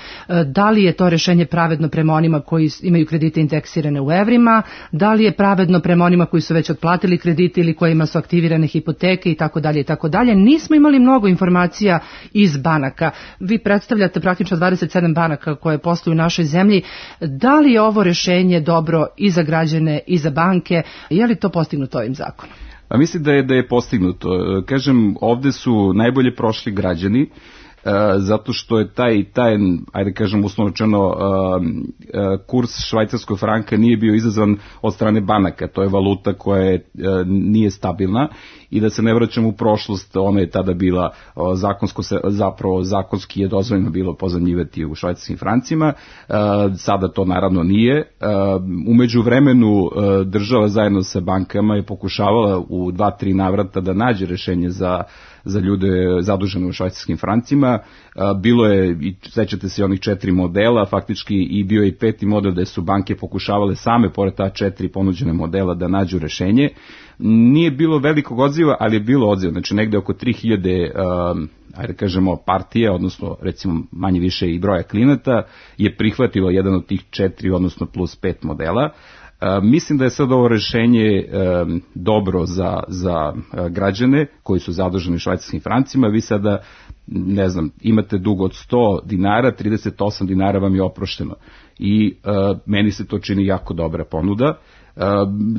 da li je to rešenje pravedno prema onima koji imaju kredite indeksirane u evrima, da li je pravedno prema onima koji su već otplatili kredite ili kojima su aktivirane hipoteke i tako dalje i tako dalje. Nismo imali mnogo informacija iz banaka. Vi predstavljate praktično dvadeset sedam banaka koje posluju u našoj zemlji. Da li je ovo rešenje dobro i za građane i za banke? Je li to postignuto ovim zakonom? A mislim da je da je postignuto. Kažem, ovde su najbolje prošli građani. zato što je taj, taj ajde kažem uslovno rečeno, kurs švajcarskog franka nije bio izazvan od strane banaka, to je valuta koja je, nije stabilna i da se ne vraćamo u prošlost, ona je tada bila zakonsko, zapravo zakonski je dozvoljeno bilo pozajmljivati u švajcarskim francima, sada to naravno nije. U međuvremenu država zajedno sa bankama je pokušavala u dva, tri navrata da nađe rešenje za za ljude zadužene u švajcarskim francima. Bilo je, i sećate se onih četiri modela, faktički i bio je i peti model da su banke pokušavale same, pored ta četiri ponuđene modela, da nađu rešenje. Nije bilo velikog odziva, ali je bilo odziva, znači negde oko tri hiljade um, ajde kažemo partije, odnosno recimo manje više i broja klijenata, je prihvatilo jedan od tih četiri, odnosno plus pet modela. Uh, mislim da je sad ovo rešenje um, dobro za, za uh, građane koji su zaduženi švajcarskim francima. Vi sada, ne znam, imate dug od sto dinara, trideset osam dinara vam je oprošteno i uh, meni se to čini jako dobra ponuda. Uh,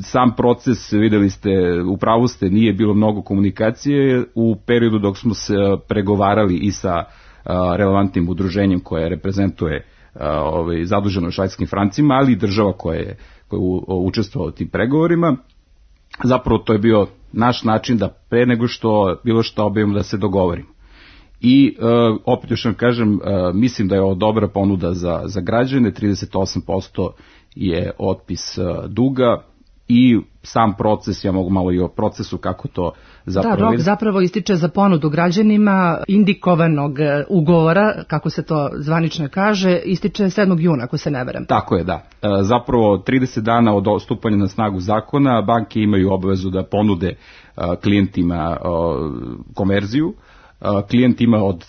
sam proces, videli ste, u pravu ste, nije bilo mnogo komunikacije u periodu dok smo se pregovarali i sa uh, relevantnim udruženjem koje reprezentuje uh, ovaj, zaduženo švajcarskim francima, ali i država koja je koja je učestvovala u tim pregovorima. Zapravo to je bio naš način da pre nego što bilo što objavimo da se dogovorimo. I uh, opet još vam kažem, uh, mislim da je ovo dobra ponuda za, za građane, trideset osam posto je otpis uh, duga i sam proces, ja mogu malo i o procesu kako to zapravo... Da, rok zapravo ističe za ponudu građanima indikovanog ugovora, kako se to zvanično kaže, ističe sedmog juna, ako se ne veram. Tako je, da. Zapravo trideset dana od stupanja na snagu zakona banke imaju obavezu da ponude klijentima konverziju. Klijent ima od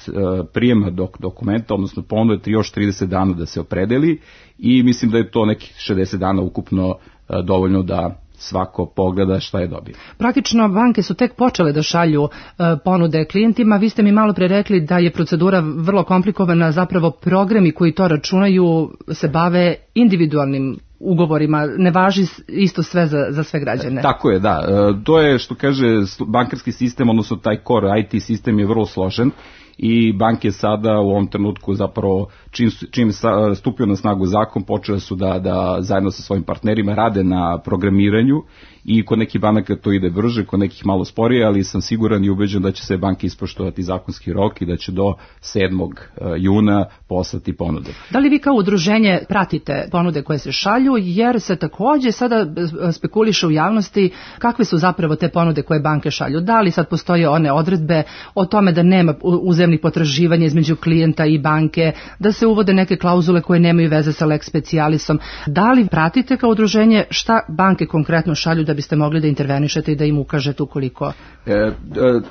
prijema dok dokumenta, odnosno ponude još trideset dana da se opredeli i mislim da je to nekih šezdeset dana ukupno dovoljno da svako pogleda šta je dobio. Praktično banke su tek počele da šalju e, ponude klijentima. Vi ste mi malo pre rekli da je procedura vrlo komplikovana, zapravo programi koji to računaju se bave individualnim ugovorima, ne važi isto sve za, za sve građane. Tako je, da. E, to je što kaže bankarski sistem, odnosno taj core I T sistem je vrlo složen i banke sada u ovom trenutku zapravo čim, čim stupio na snagu zakon počele su da, da zajedno sa svojim partnerima rade na programiranju i kod nekih banaka to ide brže, kod nekih malo sporije, ali sam siguran i ubeđen da će se banke ispoštovati zakonski rok i da će do sedmog juna poslati ponude. Da li vi kao udruženje pratite ponude koje se šalju, jer se takođe sada spekuliše u javnosti kakve su zapravo te ponude koje banke šalju? Da li sad postoje one odredbe o tome da nema uzemnih potraživanja između klijenta i banke, da se uvode neke klauzule koje nemaju veze sa lex specialisom? Da li pratite kao udruženje šta banke konkretno šalju da biste mogli da intervenišete i da im ukažete ukoliko... E, e,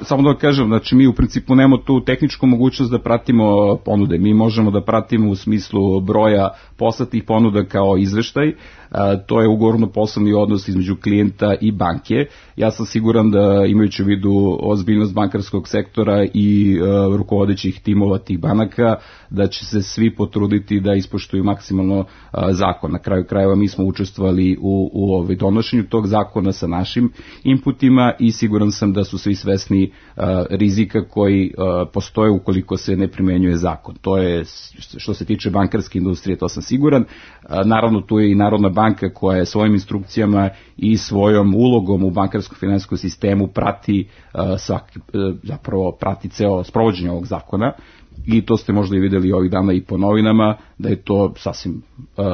samo da kažem, znači mi u principu nemamo tu tehničku mogućnost da pratimo ponude. Mi možemo da pratimo u smislu broja poslatih ponuda kao izveštaj. E, to je ugovorno poslovni odnos između klijenta i banke. Ja sam siguran da imajući u vidu ozbiljnost bankarskog sektora i e, rukovodećih timova tih banaka, da će se svi potruditi da ispoštuju maksimalno a, zakon. Na kraju krajeva mi smo učestvovali u, u ovaj donošenju tog zakona sa našim inputima i siguran sam da su svi svesni a, rizika koji a, postoje ukoliko se ne primenjuje zakon. To je što se tiče bankarske industrije, to sam siguran. A, naravno tu je i Narodna banka koja je svojim instrukcijama i svojom ulogom u bankarskom finansijskom sistemu prati a, svaki, a, zapravo prati ceo sprovođenje ovog zakona. I to ste možda i videli ovih dana i po novinama, da je to sasvim uh,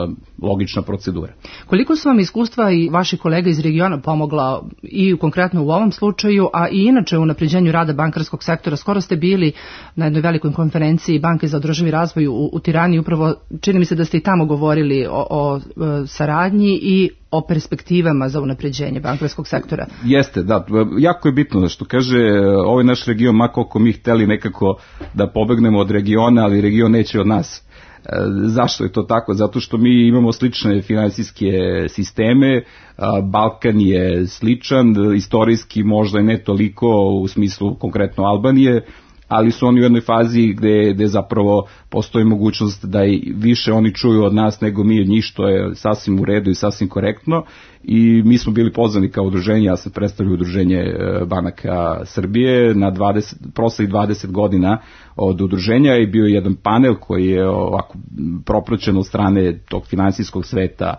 logična procedura. Koliko su vam iskustva i vaši kolega iz regiona pomogla i konkretno u ovom slučaju, a i inače u unapređenju rada bankarskog sektora? Skoro ste bili na jednoj velikoj konferenciji Banke za održivi razvoj u, u Tirani, upravo čini mi se da ste i tamo govorili o, o, o saradnji i o perspektivama za unapređenje bankarskog sektora. Jeste, da, jako je bitno da što kaže ovaj naš region, ma koliko mi hteli nekako da pobegnemo od regiona, ali region neće od nas. E, zašto je to tako? Zato što mi imamo slične finansijske sisteme, a, Balkan je sličan, istorijski možda i ne toliko u smislu konkretno Albanije, ali su oni u jednoj fazi gde, gde zapravo postoji mogućnost da i više oni čuju od nas nego mi od njih, što je sasvim u redu i sasvim korektno. I mi smo bili pozvani kao udruženje, ja sam predstavljao udruženje banaka Srbije na dvadeset, proslih dvadeset godina od udruženja i bio je jedan panel koji je ovako propraćen od strane tog finansijskog sveta,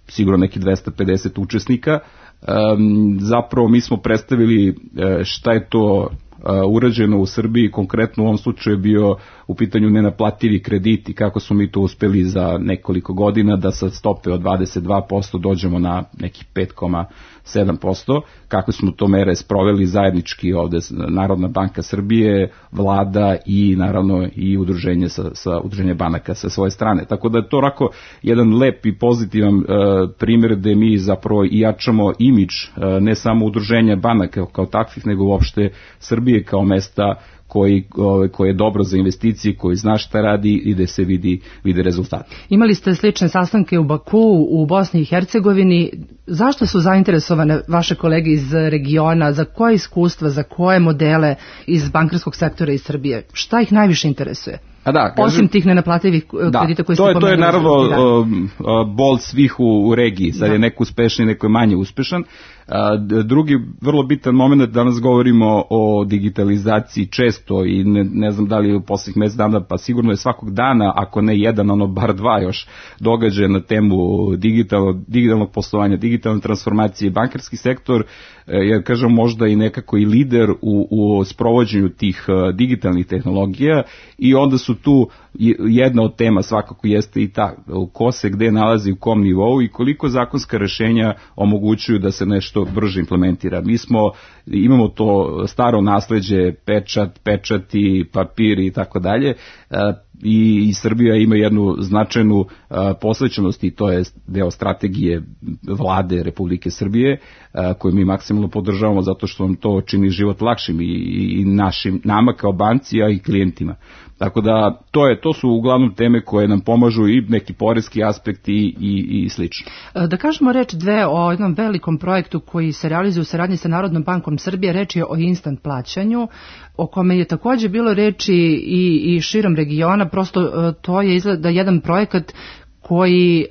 sigurno neki dvesta pedeset učesnika. Um, zapravo mi smo predstavili šta je to urađeno u Srbiji, konkretno u ovom slučaju je bio u pitanju nenaplativi krediti, kako smo mi to uspeli za nekoliko godina da sa stope od dvadeset dva posto dođemo na nekih pet zarez sedam posto, kako smo to mere sproveli zajednički ovde Narodna banka Srbije, vlada i naravno i udruženje sa, sa udruženje banaka sa svoje strane. Tako da je to onako jedan lep i pozitivan uh, primjer gde mi zapravo i jačamo imidž uh, ne samo udruženja banaka kao takvih, nego uopšte Srbije kao mesta koji, koji je dobro za investicije, koji zna šta radi i da se vidi, vidi rezultati. Imali ste slične sastanke u Baku, u Bosni i Hercegovini. Zašto su zainteresovane vaše kolege iz regiona? Za koje iskustva, za koje modele iz bankarskog sektora iz Srbije? Šta ih najviše interesuje? A da, kažem, osim tih nenaplativih kredita koji ste pomenuli. To je naravno bol svih u, u regiji. Sad da. je neko uspešan i neko je manje uspešan. A, drugi vrlo bitan moment, danas govorimo o digitalizaciji često i ne, ne znam da li je u posljednjih mesec dana, pa sigurno je svakog dana, ako ne jedan, ono bar dva još događaja na temu digitalnog, digitalnog poslovanja, digitalne transformacije, bankarski sektor, ja kažem možda i nekako i lider u, u sprovođenju tih uh, digitalnih tehnologija i onda su tu jedna od tema svakako jeste i ta ko se gde nalazi u kom nivou i koliko zakonska rešenja omogućuju da se nešto brže implementira. Mi smo, imamo to staro nasleđe, pečat, pečati, papiri i tako dalje, i, i Srbija ima jednu značajnu uh, posvećenost i to je deo strategije vlade Republike Srbije uh, koju mi maksimalno podržavamo zato što nam to čini život lakšim i, i našim, nama kao banci, a i klijentima. Tako da to je to su uglavnom teme koje nam pomažu i neki poreski aspekti i, i, i slično. Da kažemo reč dve o jednom velikom projektu koji se realizuje u saradnji sa Narodnom bankom Srbije, reč je o instant plaćanju, o kome je također bilo reči i, i širom regiona, prosto to je izgleda jedan projekat koji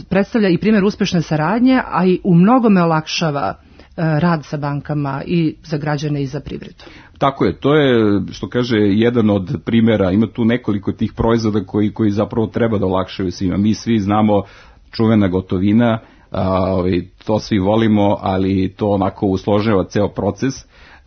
predstavlja i primjer uspešne saradnje, a i u mnogome olakšava rad sa bankama i za građane i za privredu. Tako je, to je što kaže jedan od primjera, ima tu nekoliko tih proizvoda koji, koji zapravo treba da olakšaju svima. Mi svi znamo čuvena gotovina, a, to svi volimo, ali to onako usložava ceo proces,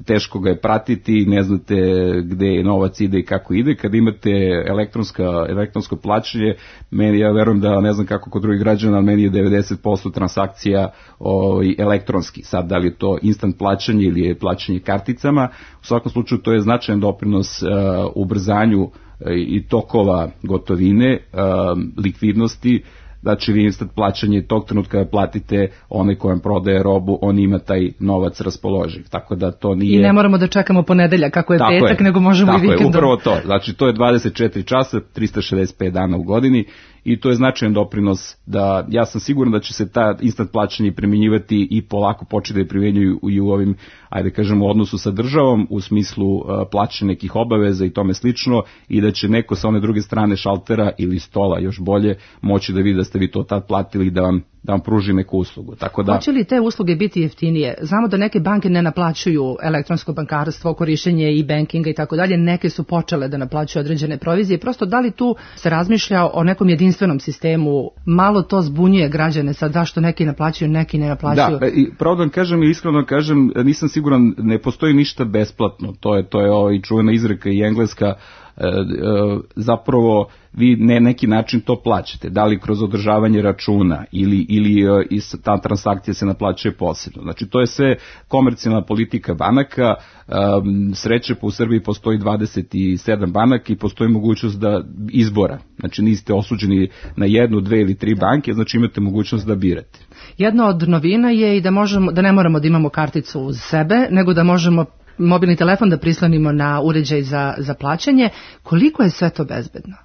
teško ga je pratiti, ne znate gde je novac ide i kako ide. Kad imate elektronska, elektronsko plaćanje, meni, ja verujem da ne znam kako kod drugih građana, ali meni je devedeset posto transakcija o, elektronski. Sad, da li je to instant plaćanje ili je plaćanje karticama, u svakom slučaju to je značajan doprinos uh, ubrzanju uh, i tokova gotovine, uh, likvidnosti. Znači vi instant plaćanje tog trenutka kada platite onaj kojem prodaje robu, on ima taj novac raspoloživ. Tako da to nije... I ne moramo da čekamo ponedeljak kako je tako petak, je, nego možemo i vikendom. Tako je, upravo to. Znači to je dvadeset četiri časa, trista šezdeset pet dana u godini i to je značajan doprinos da, ja sam siguran da će se ta instant plaćanje primjenjivati i polako početi da primjenjuju i u ovim, ajde kažemo, u odnosu sa državom, u smislu uh, plaćanja nekih obaveza i tome slično i da će neko sa one druge strane šaltera ili stola, još bolje, moći da vidi da ste vi to tad platili da vam da vam pruži neku uslugu. Tako da... Hoće li te usluge biti jeftinije? Znamo da neke banke ne naplaćuju elektronsko bankarstvo, korišćenje i bankinga i tako dalje, neke su počele da naplaćuju određene provizije. Prosto da li tu se razmišlja o nekom jedinstvenom sistemu? Malo to zbunjuje građane sad zašto neki naplaćuju, neki ne naplaćuju. Da, i pravo da vam kažem i iskreno kažem, nisam siguran, ne postoji ništa besplatno. To je, to je ovaj čuvena izreka i engleska, zapravo vi ne neki način to plaćate, da li kroz održavanje računa ili, ili ta transakcija se naplaćuje posebno. Znači to je sve komercijalna politika banaka, sreće po u Srbiji postoji dvadeset sedam banaka i postoji mogućnost da izbora, znači niste osuđeni na jednu, dve ili tri banke, znači imate mogućnost da birate. Jedna od novina je i da, možemo, da ne moramo da imamo karticu uz sebe, nego da možemo mobilni telefon da prislonimo na uređaj za, za plaćanje. Koliko je sve to bezbedno?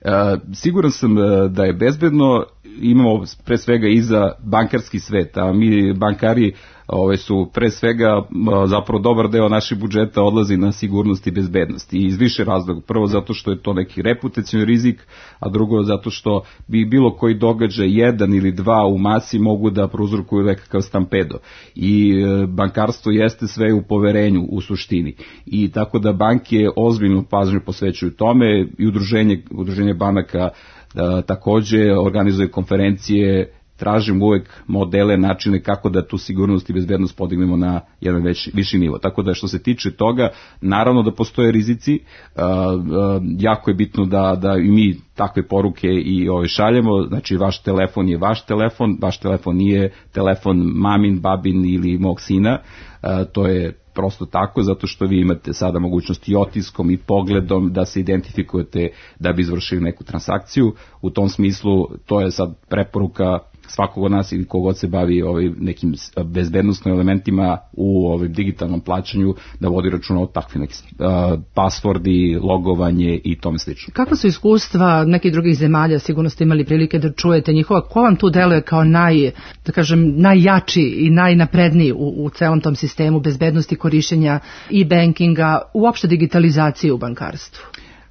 E, siguran sam da je bezbedno imamo pre svega i za bankarski svet, a mi bankari ove su pre svega zapravo dobar deo naših budžeta odlazi na sigurnost i bezbednost i iz više razloga. Prvo zato što je to neki reputacioni rizik, a drugo zato što bi bilo koji događaj jedan ili dva u masi mogu da prouzrokuju nekakav stampedo. I bankarstvo jeste sve u poverenju u suštini. I tako da banke ozbiljnu pažnju posvećuju tome i udruženje, udruženje banaka a, takođe organizuje konferencije. Tražimo uvek modele, načine kako da tu sigurnost i bezbednost podignemo na jedan već, viši nivo. Tako da što se tiče toga, naravno da postoje rizici, uh, uh, jako je bitno da, da i mi takve poruke i ove šaljemo, znači vaš telefon je vaš telefon, vaš telefon nije telefon mamin, babin ili mog sina, uh, to je prosto tako, zato što vi imate sada mogućnost i otiskom i pogledom da se identifikujete da bi izvršili neku transakciju. U tom smislu to je sad preporuka svakog od nas ili kogod se bavi ovaj, nekim bezbednostnim elementima u ovaj, digitalnom plaćanju da vodi računa o takvim nekim uh, pasvordi, logovanje i tome slično. Kako su iskustva nekih drugih zemalja, sigurno ste imali prilike da čujete njihova, ko vam tu deluje kao naj, da kažem, najjači i najnapredniji u, u celom tom sistemu bezbednosti korišćenja i bankinga, uopšte digitalizacije u bankarstvu?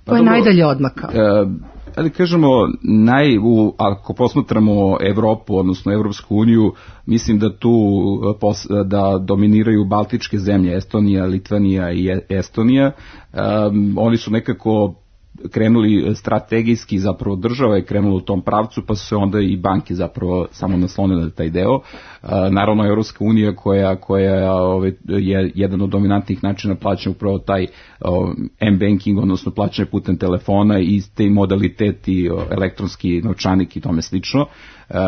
Ko je pa, najdalje odmakao? Uh, ali kažemo, naj, u, ako posmatramo Evropu, odnosno Evropsku uniju, mislim da tu pos, da dominiraju baltičke zemlje, Estonija, Litvanija i Estonija. Um, oni su nekako krenuli strategijski, zapravo država je krenula u tom pravcu, pa su se onda i banke zapravo samo naslonile na taj deo. Naravno, Evropska unija koja, koja je jedan od dominantnih načina plaćanja upravo taj m-banking, odnosno plaćanje putem telefona i te modaliteti elektronski novčanik i tome slično.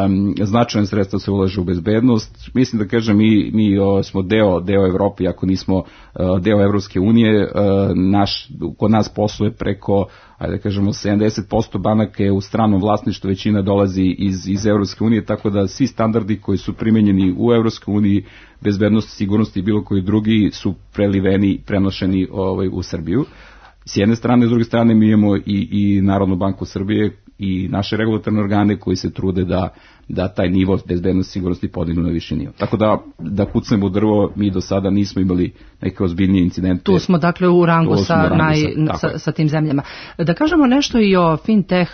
Um, značajne sredstva se ulaže u bezbednost. Mislim da kažem, mi, mi o, smo deo, deo Evrope, ako nismo uh, deo Evropske unije, uh, naš, kod nas posluje preko, ajde da kažemo, sedamdeset posto banaka je u stranom vlasništvu, većina dolazi iz, iz Evropske unije, tako da svi standardi koji su primenjeni u Evropskoj uniji, bezbednost, sigurnost i bilo koji drugi su preliveni, prenošeni ovaj, u Srbiju. S jedne strane, s druge strane mi imamo i, i Narodnu banku Srbije i naše regulatorne organe koji se trude da, da taj nivo bezbednosti i sigurnosti podignu na viši nivo. Tako da, da kucnemo u drvo, mi do sada nismo imali neke ozbiljnije incidente. Tu smo dakle u rangu, sa, u rangu naj, sa, sa, sa tim zemljama. Da kažemo nešto i o fintech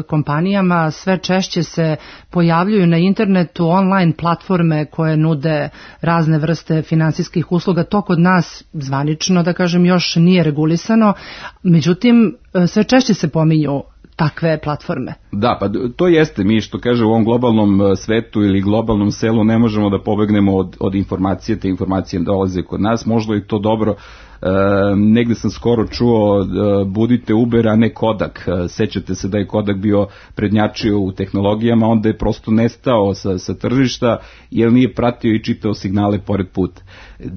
kompanijama, sve češće se pojavljuju na internetu online platforme koje nude razne vrste finansijskih usluga. To kod nas zvanično, da kažem, još nije regulisano, međutim sve češće se pominju takve platforme. Da, pa to jeste, mi što kaže u ovom globalnom svetu ili globalnom selu ne možemo da pobegnemo od, od informacije, te informacije dolaze kod nas, možda je to dobro. E, negde sam skoro čuo e, budite Uber, a ne Kodak. E, sećate se da je Kodak bio prednjačio u tehnologijama, onda je prosto nestao sa, sa tržišta jer nije pratio i čitao signale pored puta.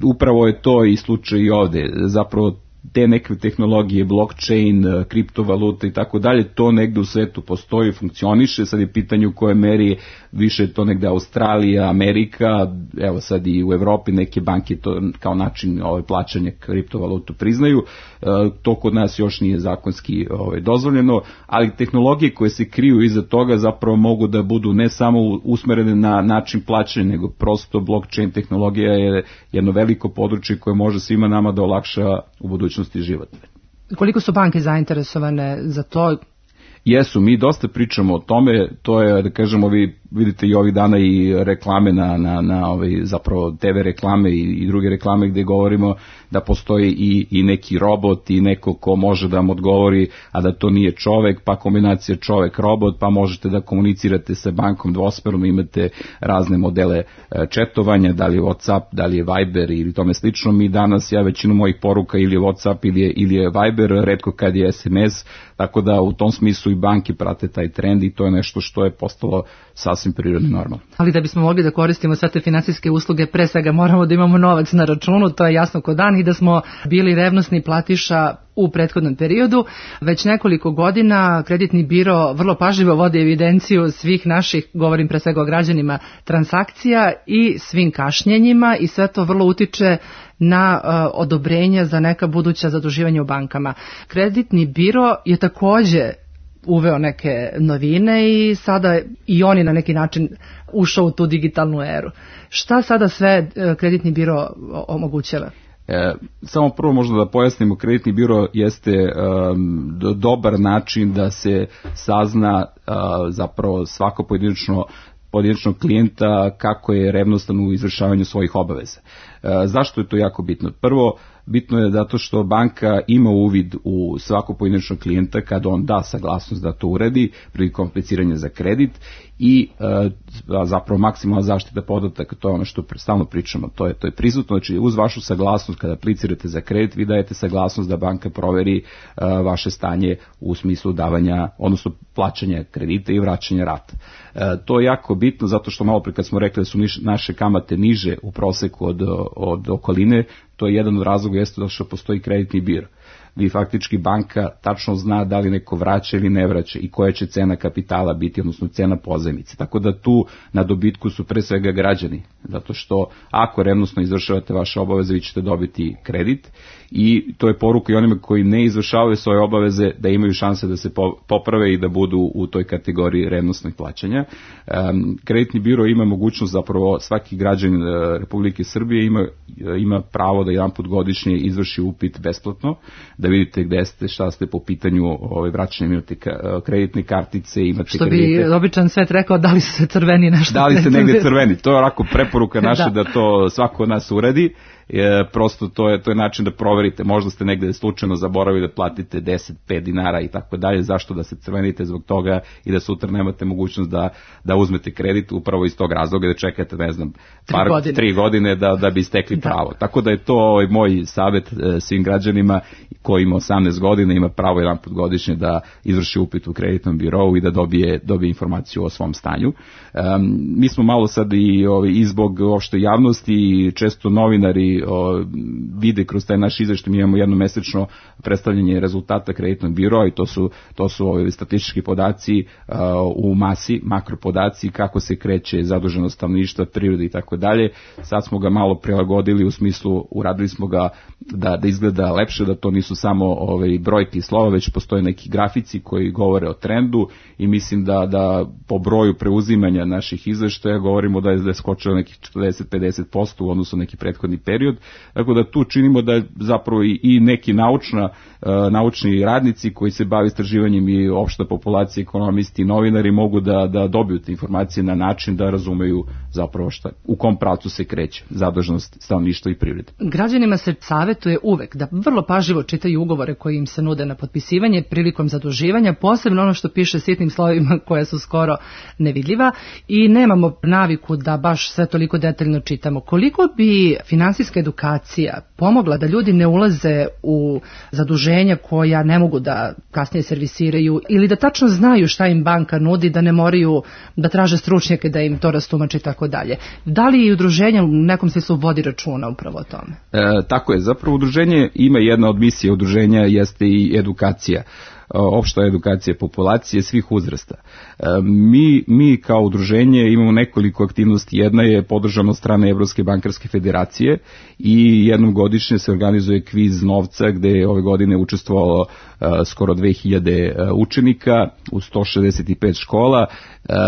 Upravo je to i slučaj i ovde. Zapravo te neke tehnologije, blockchain, kriptovalute i tako dalje, to negde u svetu postoji, funkcioniše, sad je pitanje u koje meri više to negde Australija, Amerika, evo sad i u Evropi neke banke to kao način ove, plaćanja kriptovalutu priznaju, e, to kod nas još nije zakonski ove, dozvoljeno, ali tehnologije koje se kriju iza toga zapravo mogu da budu ne samo usmerene na način plaćanja, nego prosto blockchain tehnologija je jedno veliko područje koje može svima nama da olakša u budućnosti život. Koliko su banke zainteresovane za to? Jesu, mi dosta pričamo o tome, to je, da kažemo, vi vidite i ovih dana i reklame na, na, na ovaj, zapravo te ve reklame i, i druge reklame gde govorimo da postoji i, i neki robot i neko ko može da vam odgovori, a da to nije čovek, pa kombinacija čovek-robot, pa možete da komunicirate sa bankom dvosmerno, imate razne modele četovanja, da li je WhatsApp, da li je Viber ili tome slično. Mi danas, ja većinu mojih poruka ili je WhatsApp ili je, ili je Viber, retko kad je es em es, tako da u tom smislu i banke prate taj trend i to je nešto što je postalo sasvim prirodno normalno. Ali da bismo mogli da koristimo sve te finansijske usluge, pre svega moramo da imamo novac na računu, to je jasno ko dan, i da smo bili revnosni platiša u prethodnom periodu. Već nekoliko godina kreditni biro vrlo pažljivo vodi evidenciju svih naših, govorim pre svega o građanima, transakcija i svim kašnjenjima i sve to vrlo utiče na uh, odobrenja za neka buduća zaduživanja u bankama. Kreditni biro je takođe uveo neke novine i sada i oni na neki način ušao u tu digitalnu eru. Šta sada sve kreditni biro omogućava? E, samo prvo možda da pojasnimo, kreditni biro jeste um, do, dobar način da se sazna uh, zapravo svako pojedinačno pojedinačnog klijenta kako je revnostan u izvršavanju svojih obaveza. E, zašto je to jako bitno? Prvo, bitno je zato što banka ima uvid u svakog pojedinačnog klijenta kad on da saglasnost da to uredi prilikom apliciranja za kredit i e, zapravo maksimalna zaštita podataka, to je ono što stalno pričamo, to je, to je prisutno, znači uz vašu saglasnost kada aplicirate za kredit vi dajete saglasnost da banka proveri e, vaše stanje u smislu davanja, odnosno plaćanja kredita i vraćanja rata. E, to je jako bitno zato što malo pre kad smo rekli da su niš, naše kamate niže u proseku od, od okoline, to je jedan od razloga jeste da što postoji kreditni biro. Vi faktički banka tačno zna da li neko vraća ili ne vraća i koja će cena kapitala biti, odnosno cena pozajmice. Tako da tu na dobitku su pre svega građani, zato što ako revnosno izvršavate vaše obaveze, vi ćete dobiti kredit i to je poruka i onima koji ne izvršavaju svoje obaveze da imaju šanse da se poprave i da budu u toj kategoriji revnosnog plaćanja. Um, kreditni biro ima mogućnost, zapravo svaki građanin Republike Srbije ima, ima pravo da jedan put godišnje izvrši upit besplatno, da vidite gde ste, šta ste po pitanju ovaj, vraćanja, imate kreditne kartice, imate što kredite. Što bi običan svet rekao, da li se crveni nešto? Da li se negde crveni, to je onako preporuka naša da. da to svako od nas uredi. E, prosto to je, to je način da proverite, možda ste negde slučajno zaboravili da platite deset pet dinara i tako dalje, zašto da se crvenite zbog toga i da sutra nemate mogućnost da, da uzmete kredit upravo iz tog razloga da čekate, ne znam, par, tri godine, tri godine da, da bi stekli da. pravo. Tako da je to ovaj, moj savjet e, svim građanima koji ima osamnaest godina, ima pravo jedan put godišnje da izvrši upit u kreditnom birovu i da dobije, dobije informaciju o svom stanju. E, mi smo malo sad i, ovaj, i zbog opšte javnosti i često novinari O, vide kroz taj naš izveštaj, mi imamo jednomesečno predstavljanje rezultata kreditnog biroa i to su, to su ove statistički podaci uh, u masi, makropodaci, kako se kreće zaduženost stanovništva, prirode i tako dalje. Sad smo ga malo prilagodili u smislu, uradili smo ga da, da izgleda lepše, da to nisu samo ove, brojke i slova, već postoje neki grafici koji govore o trendu i mislim da, da po broju preuzimanja naših izveštaja govorimo da je, da je skočilo nekih četrdeset do pedeset posto u odnosu na neki prethodni period. Tako da tu činimo da zapravo i, i neki naučna, uh, naučni radnici koji se bave istraživanjem i opšta populacija, ekonomisti i novinari mogu da, da dobiju te informacije na način da razumeju zapravo šta, u kom pravcu se kreće zaduženost stanovništva i privrede. Građanima se savjetuje uvek da vrlo pažljivo čitaju ugovore koji im se nude na potpisivanje prilikom zaduživanja, posebno ono što piše sitnim slovima koja su skoro nevidljiva i nemamo naviku da baš sve toliko detaljno čitamo. Koliko bi finansijska edukacija pomogla da ljudi ne ulaze u zaduženja koja ne mogu da kasnije servisiraju ili da tačno znaju šta im banka nudi, da ne moraju da traže stručnjake da im to rastumače i tako dalje. Da li i udruženje u nekom smislu vodi računa upravo o tome? E, tako je, zapravo udruženje ima jedna od misija udruženja jeste i edukacija. Opšta edukacija populacije svih uzrasta. Mi, mi kao udruženje imamo nekoliko aktivnosti. Jedna je podržana od strane Evropske bankarske federacije i jednom godišnje se organizuje kviz novca gde je ove godine učestvovalo uh, skoro dve hiljade uh, učenika u sto šezdeset pet škola.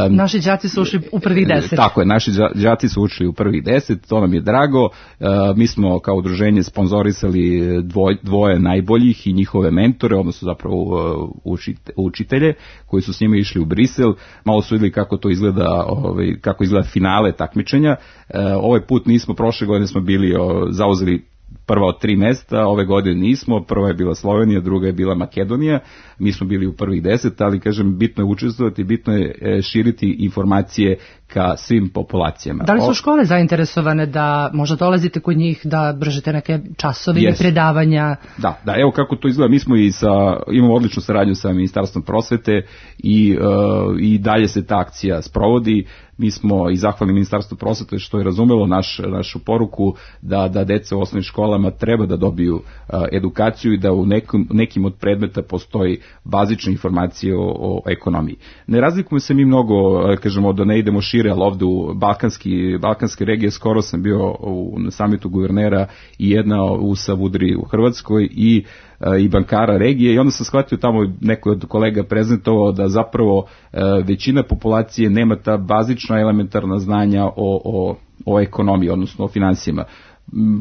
Um, naši đaci su ušli u prvih deset. Tako je, naši đaci su ušli u prvih deset, to nam je drago. Uh, mi smo kao udruženje sponzorisali dvoj, dvoje najboljih i njihove mentore, odnosno zapravo uh, učitelje koji su s njima išli u Brisel. Malo su vidjeli kako to izgleda, ovaj, kako izgleda finale takmičenja. Uh, ovaj put nismo, prošle godine smo bili o, zauzeli prva od tri mesta, ove godine nismo, prva je bila Slovenija, druga je bila Makedonija, mi smo bili u prvih deset, ali kažem, bitno je učestvovati, bitno je širiti informacije ka svim populacijama. Da li su škole zainteresovane da možda dolazite kod njih, da držite neke časove ili predavanja? Da, da, evo kako to izgleda, mi smo i sa, imamo odličnu saradnju sa Ministarstvom prosvete i, uh, i dalje se ta akcija sprovodi. Mi smo i zahvalni Ministarstvu prosvete što je razumelo naš, našu poruku da, da deca u osnovnim školama školama treba da dobiju edukaciju i da u nekim, nekim od predmeta postoji bazična informacija o, o ekonomiji. Ne razlikujemo se mi mnogo, kažemo da ne idemo šire, ali ovde u Balkanski, Balkanske regije skoro sam bio u, na samitu guvernera i jedna u Savudri u Hrvatskoj i i bankara regije i onda sam shvatio tamo neko od kolega prezentovao da zapravo većina populacije nema ta bazična elementarna znanja o, o, o ekonomiji, odnosno o finansijama.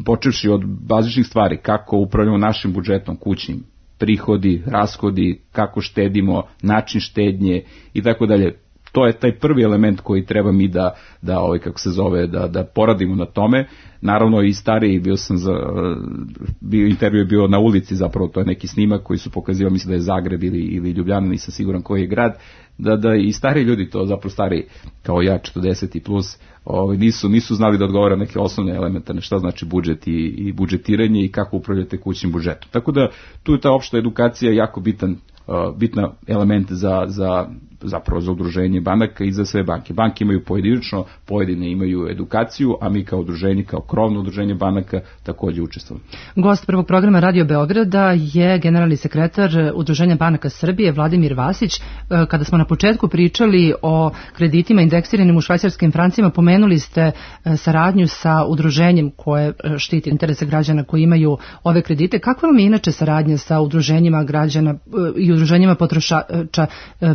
Počevši od bazičnih stvari, kako upravljamo našim budžetom kućnim, prihodi, rashodi, kako štedimo, način štednje i tako dalje. To je taj prvi element koji treba mi da, da ovaj, kako se zove, da, da poradimo na tome. Naravno i stariji, bio sam za, bio, intervju je bio na ulici zapravo, to je neki snimak koji su pokazivali, mislim da je Zagreb ili, ili Ljubljana, nisam siguran koji je grad, da, da i stariji ljudi, to zapravo stariji kao ja, četrdeset i plus, ovaj, nisu, nisu znali da odgovara neke osnovne elementarne, šta znači budžet i, i budžetiranje i kako upravljate kućnim budžetom. Tako da tu je ta opšta edukacija jako bitan, uh, bitna element za, za zapravo za udruženje banaka i za sve banke. Banke imaju pojedinačno, pojedine imaju edukaciju, a mi kao udruženje, kao krovno udruženje banaka takođe učestvujemo. Gost prvog programa Radio Beograda je generalni sekretar Udruženja banaka Srbije Vladimir Vasić. Kada smo na početku pričali o kreditima indeksiranim u švajcarskim francima, pomenuli ste saradnju sa udruženjem koje štiti interese građana koji imaju ove kredite. Kakva vam je inače saradnja sa udruženjima građana i udruženjima potrošača,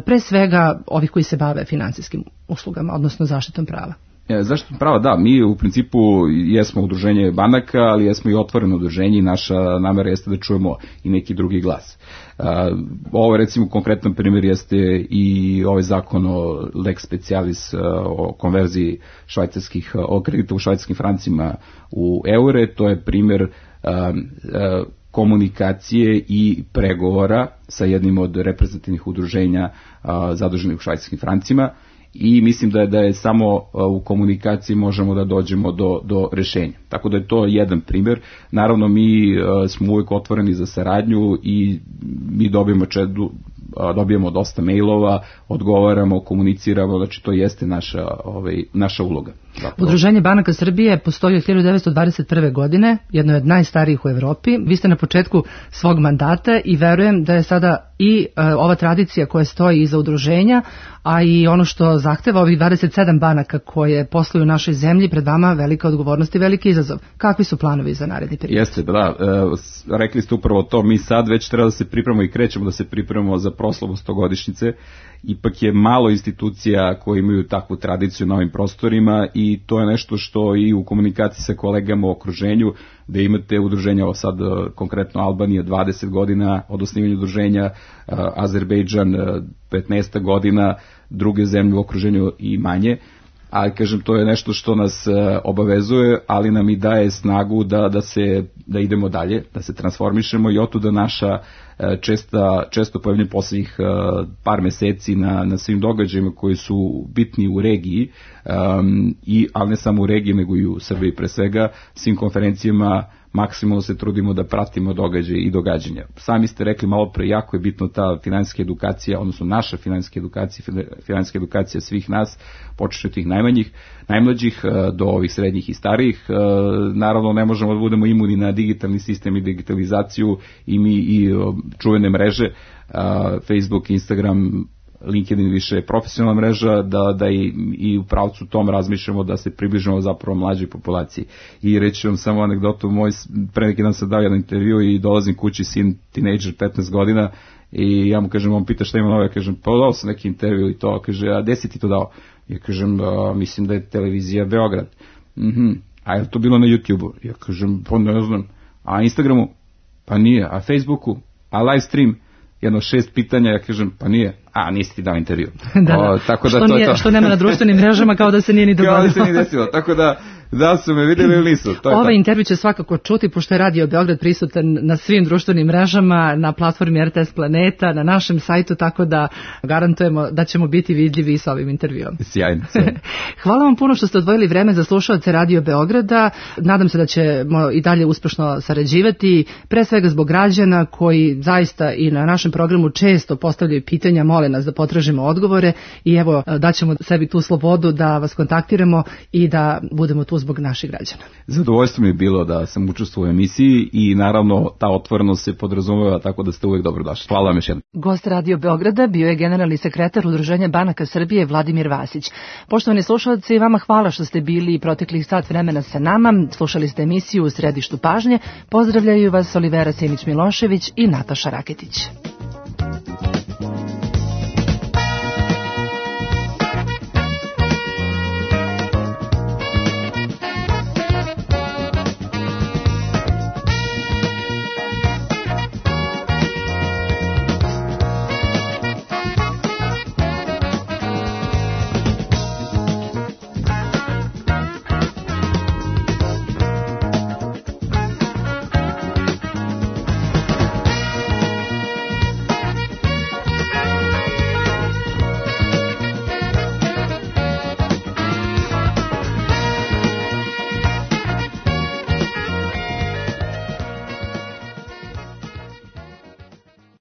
pre svega ovih koji se bave finansijskim uslugama, odnosno zaštitom prava? E, zaštitom prava, da, mi u principu jesmo udruženje banaka, ali jesmo i otvoreno udruženje i naša namera jeste da čujemo i neki drugi glas. E, ovo recimo konkretan primjer jeste i ovaj zakon o lex specialis o konverziji švajcarskih, o kredita u švajcarskim francima u eure, to je primjer e, e, komunikacije i pregovora sa jednim od reprezentativnih udruženja a, zaduženih u švajcarskim francima i mislim da je, da je samo a, u komunikaciji možemo da dođemo do, do rešenja. Tako da je to jedan primjer. Naravno mi a, smo uvijek otvoreni za saradnju i mi dobijemo, čedu, a, dobijemo dosta mailova, odgovaramo, komuniciramo, znači to jeste naša, ovaj, naša uloga. Zapravo. Udruženje banaka Srbije postoji od hiljadu devetsto dvadeset prve. godine, jedno je od najstarijih u Evropi. Vi ste na početku svog mandata i verujem da je sada i e, ova tradicija koja stoji iza udruženja, a i ono što zahteva ovih dvadeset sedam banaka koje posluju u našoj zemlji, pred vama velika odgovornost i veliki izazov. Kakvi su planovi za naredni period? Jeste, da, e, rekli ste upravo to, mi sad već treba da se pripremamo i krećemo da se pripremamo za proslavu stogodišnjice. Ipak je malo institucija koje imaju takvu tradiciju na ovim prostorima i to je nešto što i u komunikaciji sa kolegama u okruženju, da imate udruženja, ovo sad konkretno Albanija dvadeset godina od osnivanja udruženja, Azerbejdžan petnaest godina, druge zemlje u okruženju i manje. Ali, kažem, to je nešto što nas obavezuje, ali nam i daje snagu da, da, se, da idemo dalje, da se transformišemo i otuda naša česta, često pojavljanje poslednjih par meseci na, na svim događajima koji su bitni u regiji, um, i, ali ne samo u regiji, nego i u Srbiji pre svega, svim konferencijama maksimalno se trudimo da pratimo događaje i događanja. Sami ste rekli malo pre, jako je bitno ta finansijska edukacija, odnosno naša finansijska edukacija, finansijska edukacija svih nas, počeši od tih najmanjih, najmlađih do ovih srednjih i starijih. Naravno, ne možemo da budemo imuni na digitalni sistem i digitalizaciju i mi i čuvene mreže, Facebook, Instagram, LinkedIn više je profesionalna mreža, da, da i, i u pravcu tom razmišljamo da se približimo zapravo mlađoj populaciji. I reći vam samo anegdotu, moj, pre neki dan sam dao jedan intervju i dolazim kući, sin, tinejdžer, petnaest godina, i ja mu kažem, on pita šta ima novo, ja kažem, pa dao sam neki intervju i to, kaže, a gde si ti to dao? Ja kažem, a, mislim da je televizija Beograd. Mhm. A je to bilo na YouTube-u? Ja kažem, pa ne znam. A Instagramu? Pa nije. A Facebooku? A live stream? Jedno šest pitanja, ja kažem, pa nije. A, nisi ti dao intervju. da, o, tako da, što, to, nije, to. Što nema na društvenim mrežama, kao da se nije ni dogodilo. Kao da se nije desilo, tako da, da su me vidjeli ili nisu. To je Ovaj to. intervju će svakako čuti, pošto je Radio Beograd prisutan na svim društvenim mrežama, na platformi R T S Planeta, na našem sajtu, tako da garantujemo da ćemo biti vidljivi sa ovim intervjuom. Sjajno. sjajno. Hvala vam puno što ste odvojili vreme za slušaoce Radio Beograda. Nadam se da ćemo i dalje uspešno sarađivati, pre svega zbog građana koji zaista i na našem programu često postavljaju pitanja, mole nas da potražimo odgovore i evo daćemo sebi tu slobodu da vas kontaktiramo i da budemo tu zbog naših građana. Zadovoljstvo mi je bilo da sam učestvovao u emisiji i naravno ta otvorenost se podrazumeva, tako da ste uvek dobrodošli. Hvala vam još jednom. Gost Radio Beograda bio je generalni sekretar Udruženja banaka Srbije Vladimir Vasić. Poštovani slušalci, vama hvala što ste bili proteklih sat vremena sa nama. Slušali ste emisiju U središtu pažnje. Pozdravljaju vas Olivera Simić-Milošević i Nataša Raketić.